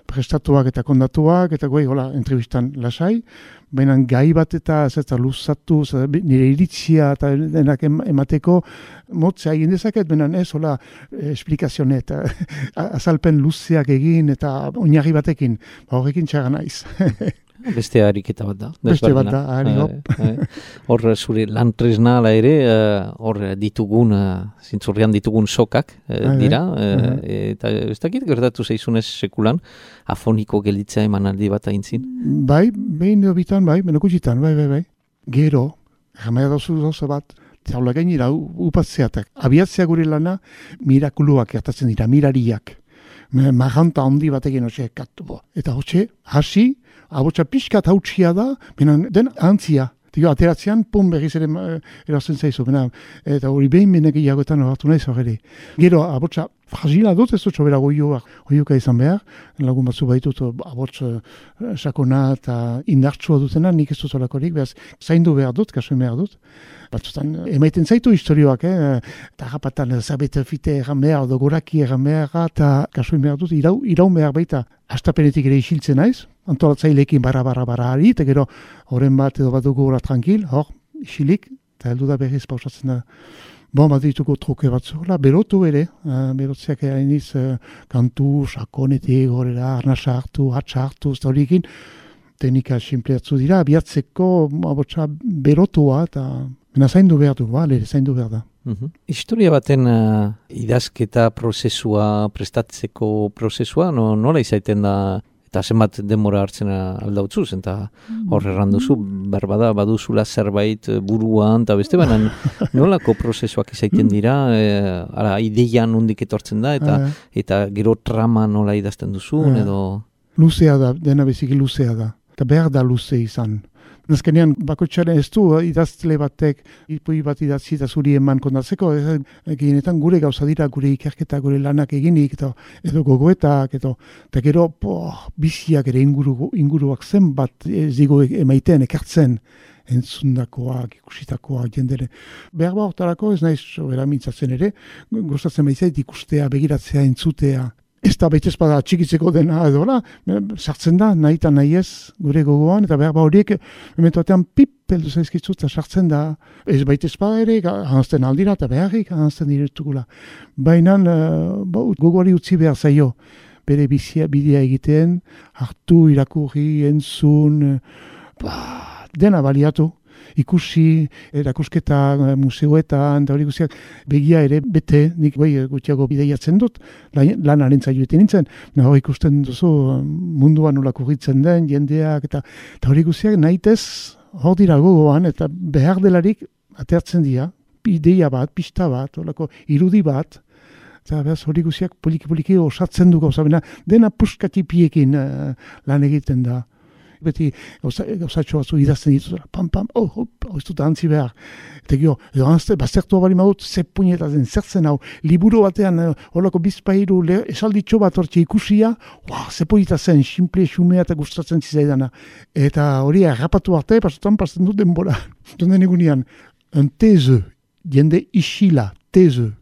prestatuak eta kondatuak, eta goi, hola, entrevistan lasai, baina gai bat eta zeta luzatu, nire iritzia eta denak emateko, motzea egin dezaket, baina ez, hola, esplikazione eta azalpen luzeak egin eta oinarri batekin, ba, horrekin txarra naiz. Beste ariketa bat da. Beste bat da, ari hop. Hor zure lan tresnala ere, hor ditugun, zintzurrian ditugun sokak dira, eta ez dakit gertatu zaizunez sekulan, afoniko gelditzea emanaldi bat aintzin? Bai, behin bitan, bai, menokutxitan, bai, bai, bai. Gero, jamea dozu dozu bat, zaula gainera upatzeatak. Abiatzea gure lana, mirakuluak gertatzen dira, mirariak. Maganta handi batekin hoxe ekatu. Eta hoxe, hasi, abotsa pixkat hautsia da, benen den antzia. Dio, ateratzean, pum, berriz ere erazten zaizu. Bena, eta hori behin menek iagoetan horatu nahi zorre. Gero, abotsa fragila dut, ez dut sobera goioak, goioka izan behar. Lagun batzu baitut, abots sakona eta indartsua dutena, nik ez dut olakorik, behaz, zaindu behar dut, kasuen behar dut. Batzutan, emaiten zaitu historioak, eh? Eta rapatan, zabete fite egan behar, edo goraki egan behar, eta kasuen behar dut, irau, iraun behar baita. Astapenetik ere isiltzen naiz, antolatzailekin barra, barra, barra ari, eta gero, horren bat edo bat dugu gora tranquil, hor, isilik, eta heldu da berriz pausatzen da. Bon, bat dituko truke batzu, berotu ere, uh, berotzeak hainiz, uh, kantu, sakonetik, horrela, arnasa hartu, hatsa hartu, eta horiekin, teknika simpleatzu dira, abiatzeko, abotsa, berotua, eta bena zaindu behar du, bale, zaindu behar da. Uhum. Historia baten uh, idazketa prozesua, prestatzeko prozesua, no, nola izaiten da, eta zenbat denbora hartzen aldautzuz, eta hor erranduzu, berbada baduzula zerbait buruan, eta beste baina nolako prozesuak izaiten dira, e, ara, ideian nondik etortzen da, eta, eta gero trama nola idazten duzun, edo... Luzea da, dena beziki luzea da, eta behar da luze izan. Nazkenean, bakotxaren ez du, idazle batek, ipui bat idatzi eta zuri eman kondatzeko, eginetan gure gauza dira, gure ikerketa, gure lanak eginik, eta, edo gogoetak, edo, eta gero, po, biziak ere inguru, inguruak zenbat ez digo emaiten, ekartzen, entzundakoak, ikusitakoak, jendere. Behar ba hortarako ez naiz sobera mintzatzen ere, gozatzen baizait ikustea, begiratzea, entzutea, ez da baita espada txikitzeko dena edo, sartzen da, nahi eta nahi ez, gure gogoan, eta behar ba horiek, momentu batean pip, peldu zaizkitzu, eta sartzen da, ez baita espada ere, hanzten aldira, eta beharrik, hanzten diretukula. Baina, uh, gogoari utzi behar zaio, bere bizia, bidea egiten, hartu, irakurri, entzun, ba, dena baliatu. Ikusi, erakusketa museoetan, da hori guztiak, begia ere bete, nik bai gutxiago bideiatzen dut, lanaren zaioetan nintzen, naho ikusten duzu munduan nola kurritzen den, jendeak, eta, eta hori guztiak nahitez hor dira gogoan, eta behar delarik atertzen dira, ideia bat, pista bat, horako irudi bat, eta behaz hori guztiak poliki-poliki osatzen du gauza, dena puskatipiekin uh, lan egiten da. Beti gauzatxo batzu idazten dituzera, pam, pam, oh, hop, hau ez dut antzi behar. Eta gio, edo anzte, bazertu abali maut, ze puñetazen, zertzen hau, liburu batean, horako bizpairu, esalditxo bat hortxe ikusia, wow, ze puñetazen, simple, xumea eta gustatzen zizaidana. Eta hori errapatu arte, pasotan pasten dut denbora. Donen egunean, un teze, jende isila, teze.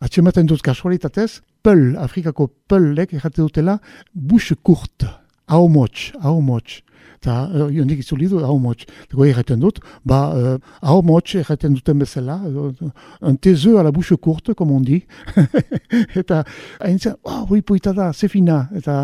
Atxematen dut kasualitatez, Peul, Afrikako peulek errate dutela, bouche courte, hau motx, hau motx. Eta, uh, jondik itzuli du, hau motx. Eta goi erraten dut, ba, uh, hau motx erraten duten bezala, uh, un tezeu a la bouche courte, comme on dit. Eta, hain zen, oh, hoi poita da, zefina. Eta,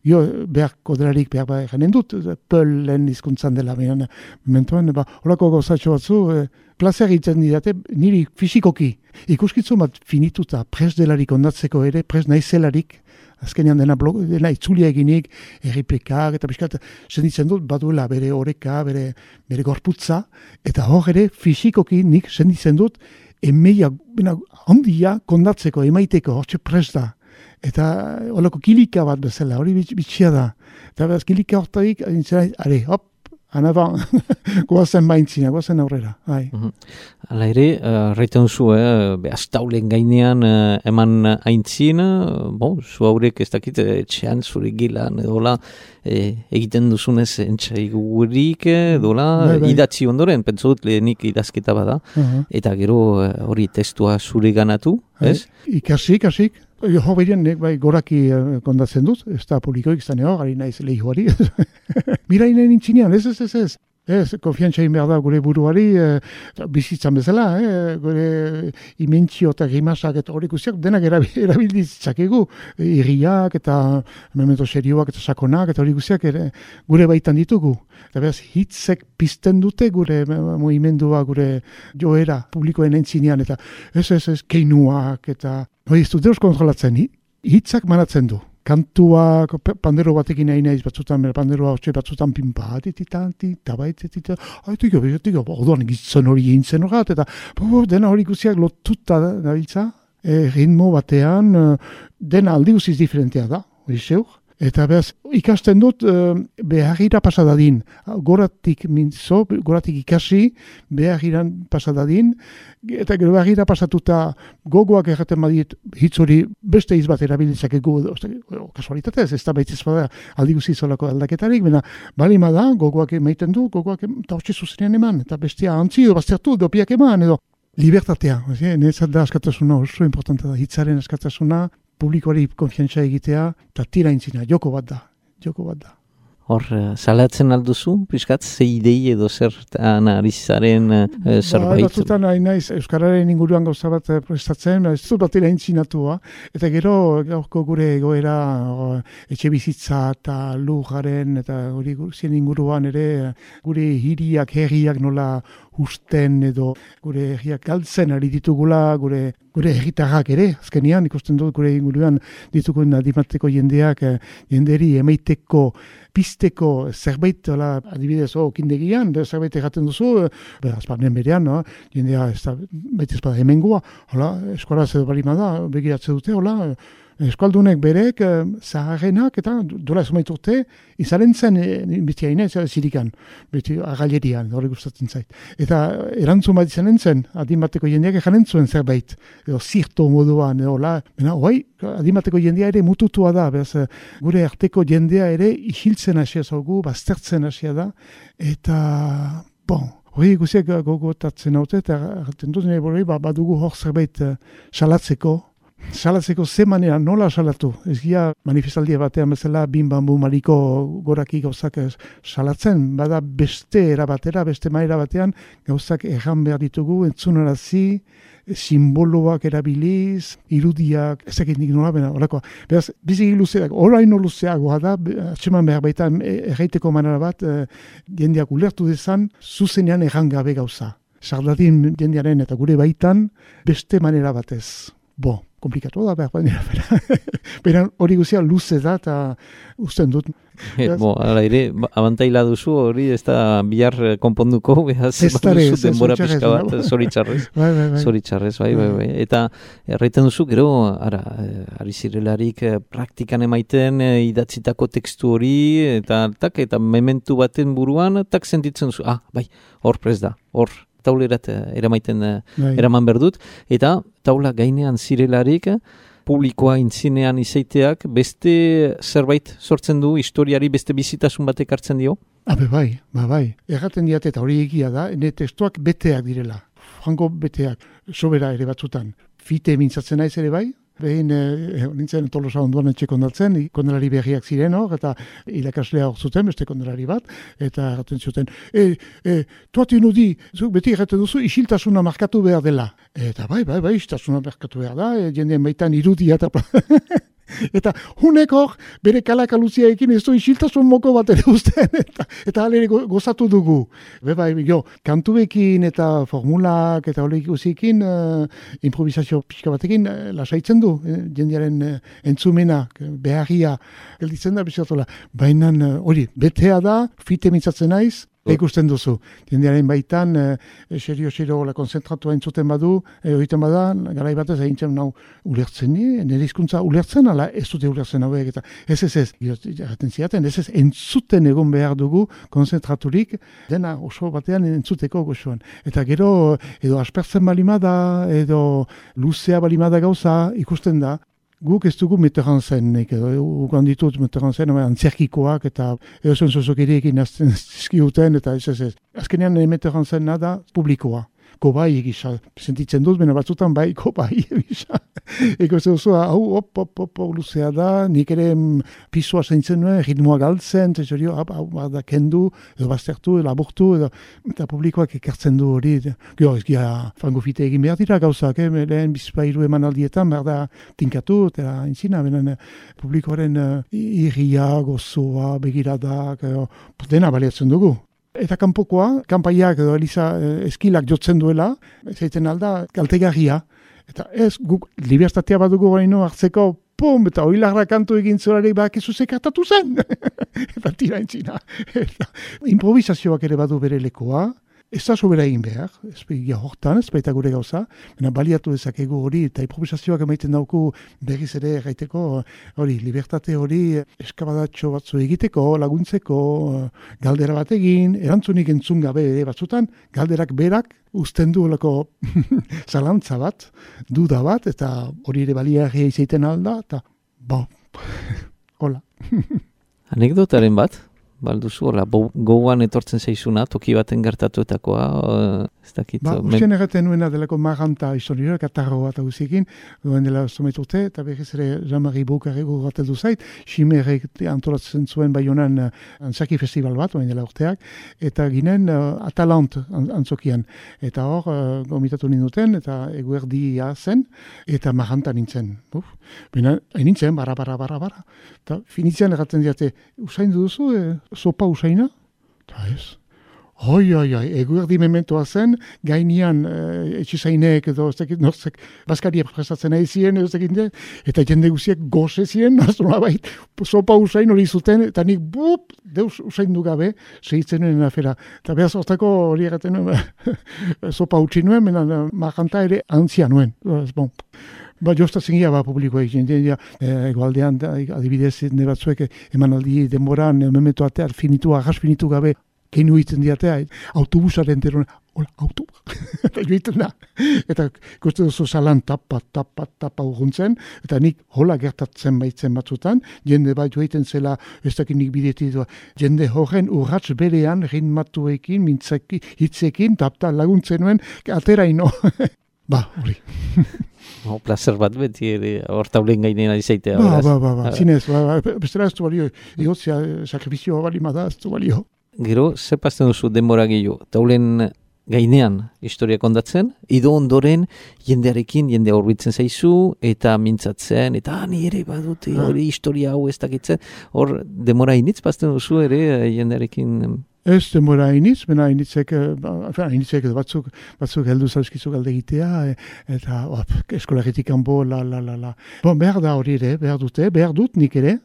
jo, behar koderarik, behar ba erranen dut, peul lehen izkuntzan dela, behan, mementoan, ba, holako gauzatxo batzu, uh, plazer egiten didate, niri fisikoki. Ikuskitzu bat finituta, pres delarik ondatzeko ere, pres naizelarik, azkenean dena, blog, dena itzulia eginik, erriplikak, eta pixkat, senditzen dut, baduela bere oreka, bere, bere gorputza, eta hor ere, fisikoki nik senditzen dut, emeia, bena, handia kondatzeko, emaiteko, hortxe pres da. Eta holako kilika bat bezala, hori bitxia da. Eta beraz, kilika hortarik, are, hop, anaban, goazen baintzina, goazen aurrera. Bai. Hala ere, erraiten zu, eh, behaz taulen gainean eh, eman aintzin, bon, zu haurek ez dakit, etxean zure gilan, edola, eh, egiten duzunez entxaigurik, edola, bai, bai. idatzi ondoren, pentsot lehenik idazketa bada, Uh-huh. eta gero eh, hori testua zure ganatu, ez? Ikasik, ikasik. Jo, behirien, nek bai goraki uh, kondatzen dut, ez da publikoik zane hor, gari naiz lehiuari. Mirainen intzinean, ez, ez, ez, ez. Ez, konfiantza egin behar da gure buruari, eh, bizitzan bezala, eh, gure imentsio eta grimasak eta hori guztiak denak erabilditzakegu, irriak eta memento serioak eta sakonak eta hori guztiak ere, gure baitan ditugu. Eta behaz, hitzek pizten dute gure movimendua, gure joera publikoen entzinean, eta ez, ez, ez, keinuak eta hori ez dut deus kontrolatzen, hitzak manatzen du. Kantuak, pandero batekin nahi naiz batzutan, panderoa hotxe batzutan pinpa, tititan, titabait, tititan, haitiko, haitiko, orduan gitzen hori gintzen horat, eta bo, dena hori guztiak lotuta dabiltza, e, ritmo batean, dena aldi guziz diferentea da, hori zeur. Eta behaz, ikasten dut uh, beharira pasadadin, goratik mintzo, goratik ikasi, behagiran pasadadin, eta gero beharira pasatuta gogoak erraten badit hitz hori beste hitz bat erabilitzak egu, kasualitatez, ez da baitz bada aldi guzi zolako aldaketarik, bena balima da, gogoak emaiten du, gogoak eta hotxe zuzenean eman, eta bestia antzi, edo baztertu, edo piak eman, edo libertatea, netzat da askatasuna, oso importanta da, hitzaren askatasuna, publikoari konfiantza egitea, eta tira intzina, joko bat da, joko bat da. Hor, salatzen alduzu, piskat, ze idei edo zertan arizaren uh, zerbait? Ba, batzutan hain naiz, Euskararen inguruan gauza bat prestatzen, ez dut bat intzinatua, eta gero gaurko gure egoera etxe bizitza eta lujaren, eta hori zien inguruan ere, gure hiriak, herriak nola husten edo gure herriak galtzen ari ditugula, gure gure herritarrak ere, azkenean ikusten dut gure inguruan ditugun adimateko jendeak, jenderi emaiteko, pizteko zerbait, ola, adibidez, oh, kindegian, zerbait egaten duzu, be, azparnen berean, no? Jendea ez da, baita ez bada hemengoa, hola, eskolaz edo barima da, begiratze dute, hola, eskaldunek berek, eh, zaharrenak, eta dola ez urte, izaren zen, e, beti haine, zirikan, beti agalerian, hori gustatzen zait. Eta erantzun bat izanen zen, adimateko jendeak ejanen zuen zerbait, edo zirto moduan, edo la, bena, oai, adimateko jendea ere mututua da, beraz, gure arteko jendea ere isiltzen hasia zaugu, baztertzen hasia da, eta, bon, hori guziak gogotatzen haute, eta erraten dut, nire ba, badugu hor zerbait salatzeko, salatzeko ze manera, nola salatu? Ez gira manifestaldia batean bezala bin bambu maliko goraki gauzak salatzen, bada beste erabatera, beste maera batean gauzak erran behar ditugu, entzunarazi, simboloak erabiliz, irudiak, ezakit nik nola bena, orakoa. Beraz, biziki luzeak, oraino luzeagoa da, atseman behar baita erraiteko manera bat, jendeak ulertu dezan, zuzenean erran gabe gauza. Sardadin jendearen eta gure baitan, beste manera batez. Bo, komplikatu da, behar baina, bera. Bera hori guzia luze da, eta usten dut. Bo, ala ere, abantaila duzu, hori ez da bihar konponduko, behaz, baduzu denbora pixka bat, zoritzarrez. Bai, bai, bai. Zoritzarrez, bai, bai, bai. Eta erraiten duzu, gero, ara, ari zirelarik praktikan emaiten idatzitako tekstu hori, eta tak, eta mementu baten buruan, tak sentitzen duzu, ah, bai, hor prez da, hor. Taulerat eramaiten bai. Eraman berdut, eta taula gainean zirelarik publikoa intzinean izaiteak beste zerbait sortzen du, historiari beste bizitasun batek hartzen dio? Habe bai, ba bai. Erraten diat eta hori egia da, ene testuak beteak direla, frango beteak, sobera ere batzutan. Fite mintzatzen naiz ere bai, behin e, nintzen Tolosa onduan etxe kondatzen, kondalari berriak ziren hor, eta irakaslea hor zuten, beste kondalari bat, eta erraten zuten, e, e, tuati nudi, zuk beti erraten duzu, isiltasuna markatu behar dela. Eta bai, bai, bai, isiltasuna markatu behar da, e, jendeen baitan irudia eta... Eta hunek hor, bere kalakaluzia ekin ez du isiltasun moko bat ere usten, eta, eta alere gozatu dugu. Be bai, jo, kantuekin eta formulak eta hori ikusikin, uh, improvisazio pixka batekin uh, lasaitzen du, eh, jendearen uh, entzumena, beharria, gelditzen da bizatola. Baina hori, uh, betea da, fite mintzatzen naiz, ikusten duzu. Jendearen baitan, e, serio-serio la konzentratua entzuten badu, e, horiten bada, garai batez egintzen nau ulertzen, e, nire hizkuntza ulertzen, ala ez dute ulertzen hauek, eta ez ez ez, jaten ziaten, ez ez entzuten egon behar dugu konzentraturik, dena oso batean entzuteko gozoan. Eta gero, edo aspertzen balimada, edo luzea balimada gauza, ikusten da, guk ez dugu Mitterrand edo ukan ditut Mitterrand zen, antzerkikoak eta eozen zozokirekin azten zizkiuten, eta ez ez ez. Azkenean Mitterrand zen nada publikoa. Kobai egisa, sentitzen dut, bena batzutan bai, kobai egisa. Eko ez duzu, hau, op, op, op, op, luzea da, nik ere pisua zeintzen nuen, ritmoa galtzen, tesorio, hau, hau, da kendu, edo baztertu, edo laburtu, edo, eta publikoak ekartzen du hori. Gero, ez gira, frango fite egin behar dira gauzak, eh? Lehen bizpairu eman aldietan, behar da tinkatu, eta inzina, benen publikoaren uh, irria, gozoa, begiradak, uh, dena baliatzen dugu. Eta kanpokoa, kanpaiak edo eliza eh, eskilak jotzen duela, zaiten alda, kaltegarria. Eta ez, guk libertatea badugu gaino hartzeko, pum, eta oilarra kantu egin zolarik bakizu zekartatu zen. Eta tira entzina. Eta improvisazioak ere badu bere lekoa, ez da sobera egin behar, ez begia hortan, ez baita gure gauza, baina baliatu dezakegu hori, eta improvisazioak emaiten dauku berriz ere gaiteko, hori, libertate hori eskabadatxo batzu egiteko, laguntzeko, galdera bat egin, erantzunik entzun gabe ere batzutan, galderak berak uzten du olako zalantza bat, duda bat, eta hori ere baliagia izaiten alda, eta ba, hola. Anekdotaren bat? Balduzu, hola, gogoan etortzen zaizuna, toki baten gertatuetakoa, uh, ez dakit. Ba, usten erraten nuena delako maranta historioa, katarro bat aguzikin, duen dela sometute, eta berriz ere Jean-Marie Boukarego gateldu zait, Ximerrek antolatzen zuen Baionan uh, antzaki festival bat, duen dela urteak, eta ginen uh, Atalant antzokian, eta hor, uh, gomitatu ninduten, eta eguerdia zen, eta maranta nintzen. Uf, bena, hain nintzen, barra, barra, barra, barra. Eta finitzean erraten diate, usain duzu, eh, sopa usaina? Eta ez. Oi, oi, oi, eguerdi mementoa zen, gainean e, etxizainek edo, ez dakit, norzek, bazkaria prestatzen nahi ziren, ez dakit, eta jende guziek goze ziren, aztola bait, sopa usain hori zuten, eta nik, bup, deus usain du gabe, segitzen nuen afera. Eta behaz hortako hori egaten nuen, sopa utzi nuen, mena marjanta ere antzia nuen. Bon. Ba, jostatzen gira, ba, publikoa egin, ja, e, egoaldean, da, adibidez, ne batzuek emanaldi denboran, memento atear finitu, arras finitu gabe, keinu egiten diatea, autobusaren terona, hola, autobus, eta joiten da. Eta ikusten duzu salan tapa, tapa, tapa urruntzen, eta nik hola gertatzen baitzen batzutan, jende bat joiten zela, ez dakit nik bidetit, jende horren urratz berean, ritmatuekin, mintzaki, hitzekin, tapta laguntzen nuen, atera ino. Ba, hori. No, placer bat beti ere, hortaulen gainean izaitea. Ba, ba, ba, ba, zinez, ba, ba, bestela ez du balio, egotzea, sakrifizioa balimada ez du balio. Gero, ze pasten duzu denbora gehiago, taulen gainean historia kondatzen, edo ondoren jendearekin, jendea horbitzen zaizu, eta mintzatzen, eta ah, ni ere badute, hori historia hau ez dakitzen, hor denbora initz pasten duzu ere jendearekin... Ez denbora iniz, bena initzek, initzek batzuk, batzuk heldu zauzkizu galde egitea, eta op, eskolagetik kanpo, la, la, la, la. Bon, behar da hori ere, behar dute, behar dut nik ere,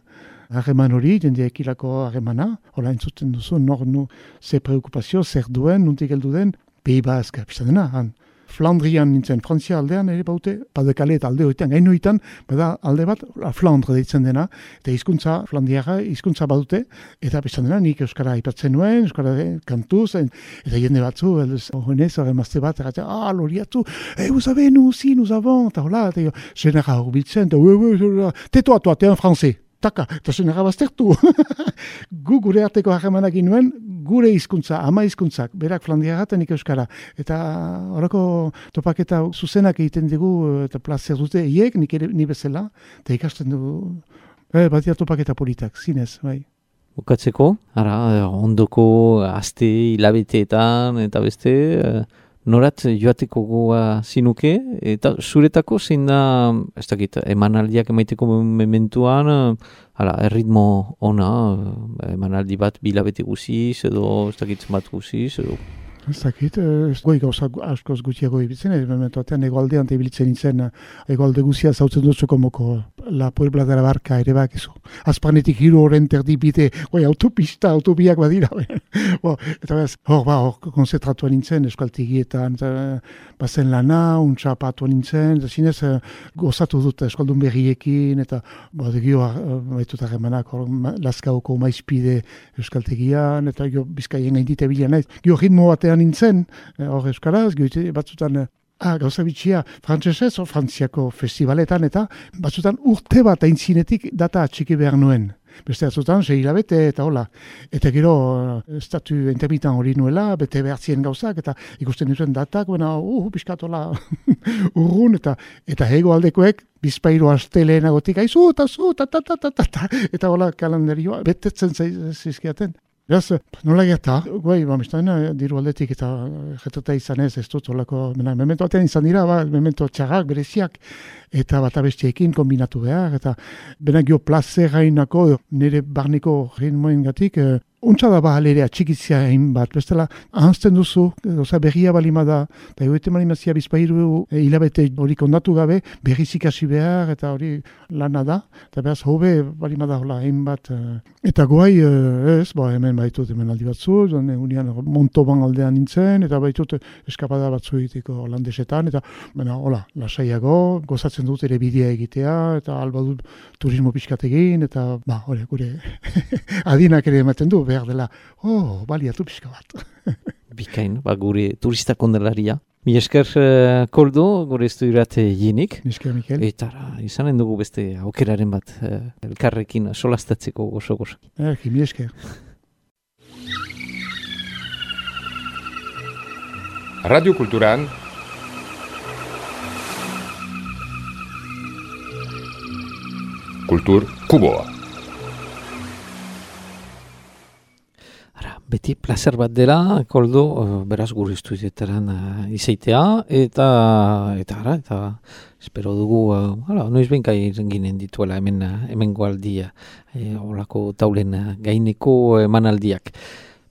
harreman hori, jendeekilako harremana, hola entzuten duzu, nor nu, ze preokupazio, zer duen, nuntik heldu den, Pays Basque, pizan dena, han. Flandrian nintzen, Frantzia aldean ere baute, Pas-de-Calais eta alde horietan, gaino horietan, bada alde bat, Flandre deitzen dena, eta hizkuntza Flandiara, hizkuntza badute, eta pizan dena, nik euskara aipatzen nuen, euskara kantuz, eta jende batzu, horrenez, horremazte bat, eta ah, loriatu, eh, vous savez, nous aussi, nous avons, eta hola, eta zenera horbiltzen, eta teto atoa, te en français. Taka, eta zenera baztertu. Gu gure arteko harremanak nuen, gure hizkuntza, ama hizkuntzak, berak flandiagaten nik euskara, eta horako topaketa zuzenak egiten dugu, eta plazer dute, hiek, nik ere, ni bezala, eta ikasten dugu, e, batia topaketa politak, zinez, bai. Bukatzeko, ara, ondoko aste hilabeteetan, eta beste, norat joateko goa zinuke, eta zuretako zein da, ez dakit, emanaldiak emaiteko mementuan, hala, erritmo ona, emanaldi bat bilabete guziz, edo ez dakit bat guziz, edo... Ez dakit, ez goi gauza askoz gutxiago ibitzen, ez momentuatean egoaldean ibilitzen nintzen, egoalde guzia zautzen dutzuko moko la Puebla de la Barca ere bakizu. Azpanetik hiru horren terdi bide, goi autopista, autobiak badira. Bo, eta bez, hor ba, hor konzentratua nintzen, eskualtegietan, bazen lana, untxapatu nintzen, eta zinez gozatu dut eskualdun berriekin, eta bo, gio baitutak emanak, hor Lazkaoko maizpide euskaltegian, eta gio bizkaien gaindite bila naiz. Gio ritmo batean nintzen, hor euskaraz, gio batzutan, ah, gauza bitxia, frantzesez, o frantziako festivaletan, eta batzutan urte bat aintzinetik data atxiki behar nuen. Beste batzutan, sei hilabete, eta hola. Eta gero, estatu intermitan hori nuela, bete behartzien gauzak, eta ikusten nituen datak, baina, uh, piskatola urrun, eta eta hego aldekoek, bizpairu astelenagotik, aizu, eta zu, ta, ta, ta, ta, ta, ta, eta hola kalendarioa, betetzen zizkiaten. Beraz, nola gerta, guai, bamistan, diru aldetik eta jetota izan ez, ez dut, olako, memento atean izan dira, ba, memento txarrak, bereziak, eta bat abestiekin kombinatu behar, eta benak jo plazerainako, nire barneko ritmoen gatik, eh, untsa da ba alerea txikitzia egin bat, bestela, ahantzten duzu, oza, berria balima da, eta egoete malimazia bizpairu e, hilabete hori kondatu gabe, berriz ikasi behar, eta hori lana da, eta behaz hobe balima da hola egin bat, e, eta guai, e, ez, ba, hemen baitut hemen aldi batzu, unian Montoban aldean nintzen, eta baitut eskapada batzu egiteko holandesetan, eta, bena, hola, lasaiago, gozatzen dut ere bidea egitea, eta alba dut turismo pixkat egin, eta, ba, hori, gure adinak ere ematen du, behar dela, oh, baliatu pixka bat. Bikain, ba, gure turista kondelaria. Mi esker uh, Koldo, gure estudirat jinik. Mi esker, Mikel. Eta izanen dugu beste aukeraren bat uh, elkarrekin solastatzeko gozo-gozo. Erki, mi esker. Radio Kulturan Kultur Kuboa. Ara, beti placer bat dela, Koldo, uh, beraz gure estudietaran uh, izaitea, eta, eta, ara, eta espero dugu, uh, ara, noiz benkai ginen dituela hemen, uh, hemen goaldia, e, olako taulen uh, gaineko emanaldiak.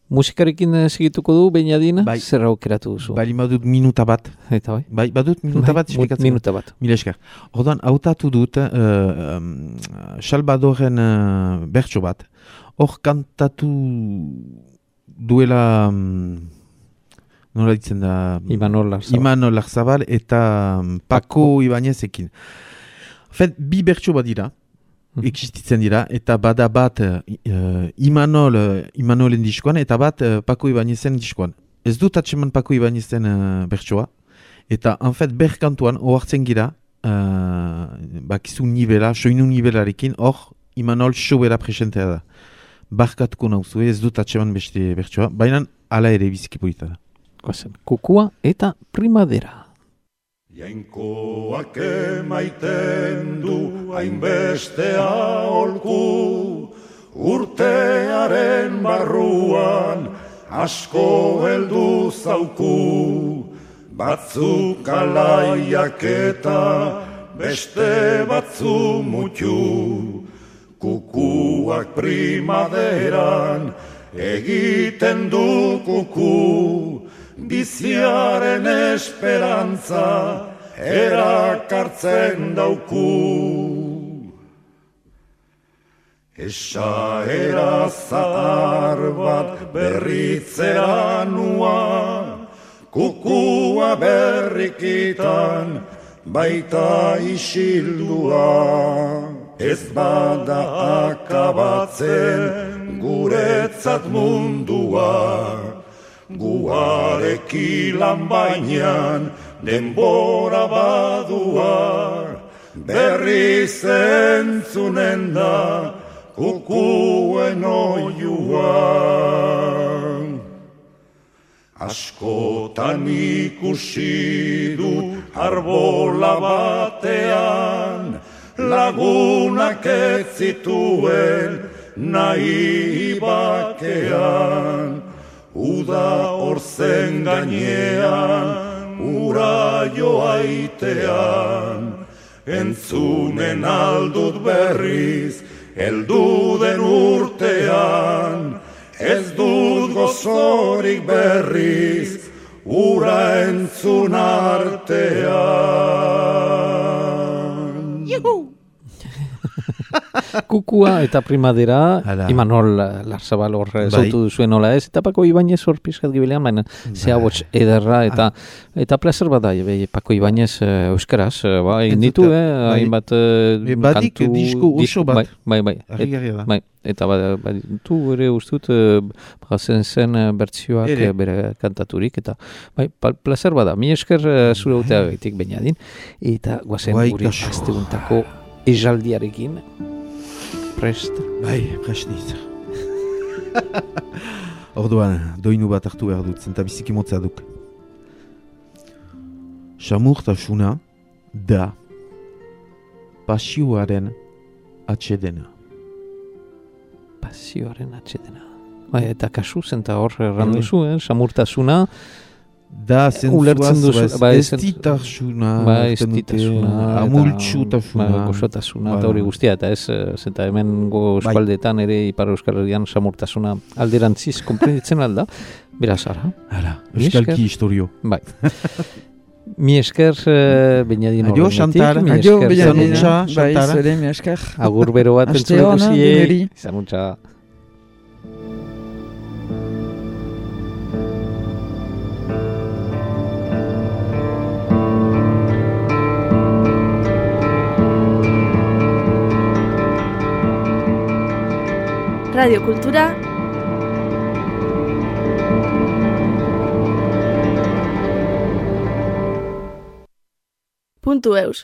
Musikarekin uh, segituko du, Beñadina, bai. Zer aukeratu duzu? Bali badut minuta bat. Eta bai? Bai, badut minuta Bai, bat esplikatzen. Minuta bat. Mila esker. Ordan, hautatu dut, uh, um, Salvadoren uh, bertso bat. Hor kantatu duela, um, nola ditzen da? Imanol Larzabal. Imanol Larzabal eta um, Paco, Paco Ibanezekin. Fet, bi bertso bat dira, mm-hmm. existitzen dira, eta bada bat uh, Imanol, uh, Imanolen diskoan, eta bat uh, Paco Ibanezen diskoan. Ez dut atseman Paco Ibanezen uh, bertsoa, eta en fet berkantuan ohartzen gira, uh, bakizu nivela, soinu nivelarekin, hor Imanol sobera presentea da. Barkatuko nauzu, ez dut atseman beste bertsoa, baina ala ere biziki polita da. Goazen, Kukua eta Primadera. Jainkoak emaiten du hainbeste aholku, urtearen barruan asko heldu zauku, batzuk alaiak eta beste batzu mutu. Kukuak primaderan egiten du kuku, biziaren esperantza erakartzen dauku. Esaera zahar bat berritzera nua, kukua berrikitan baita isildua. Ez bada akabatzen guretzat mundua, guarekilan bainan denbora badua, berri zentzunen da kukuen oiua. Askotan ikusi dut arbola batean, lagunak ez zituen nahi bakean. Uda orzen gainean, ura joaitean, entzunen aldut berriz, heldu den urtean, ez dut gozorik berriz, ura entzun artean. Juhu! Kukua eta primadera, Hala. Imanol Larzabal hor Bai. zautu duzuen nola ez, eta Pako Ibanez hor pizkat gibilean, baina zea hots ederra, eta eta placer bada, ebe, Pako Ibanez uh, euskaraz, uh, ba, egin ditu, Entzuta, eh, bai. hainbat uh, E, badik kantu, disko oso disko- bat. Bai, bai, bai. Et- Harrigarria da. bai. Eta bada, baditu ere ustut, uh, bazen zen uh, bertzioak Ere. uh, bere kantaturik, eta bai, pal- placer bada, mi esker uh, zure utea gaitik bainadin, eta guazen Bai, gure kaso. asteuntako ejaldiarekin, prest. Bai, presniz. Orduan, doinu bat hartu behar dut, zenta biziki motza duk. Samurtasuna da pasioaren atsedena. Pasioaren atxetena. Bai, eta kasu zenta hor erranduzu, eh? Samurtasuna, Da ulertzen duzu- zentzuaz, bai, ez zentzu- ditasuna, bai, ulertzen dute, estitasuna, eta- amultsutasuna. bai, gozotasuna, eta Bai. hori guztia, eta ez, eh, zenta hemen go Bai. eskualdetan ere Ipar Euskal Herrian samurtasuna alderantziz konprenditzen alda, beraz ara. Hala, Mi euskalki esker. historio. Bai. Mi esker, uh, Beñadin Adio, horrenetik, Xantar. mi Adio, esker, Beñadina. Zanutxa, Bai, Xantara. zure, mi esker. agur bero bat Aste entzuleko ona, ziei. deneri. Zanutxa. Radio Kultura puntu eus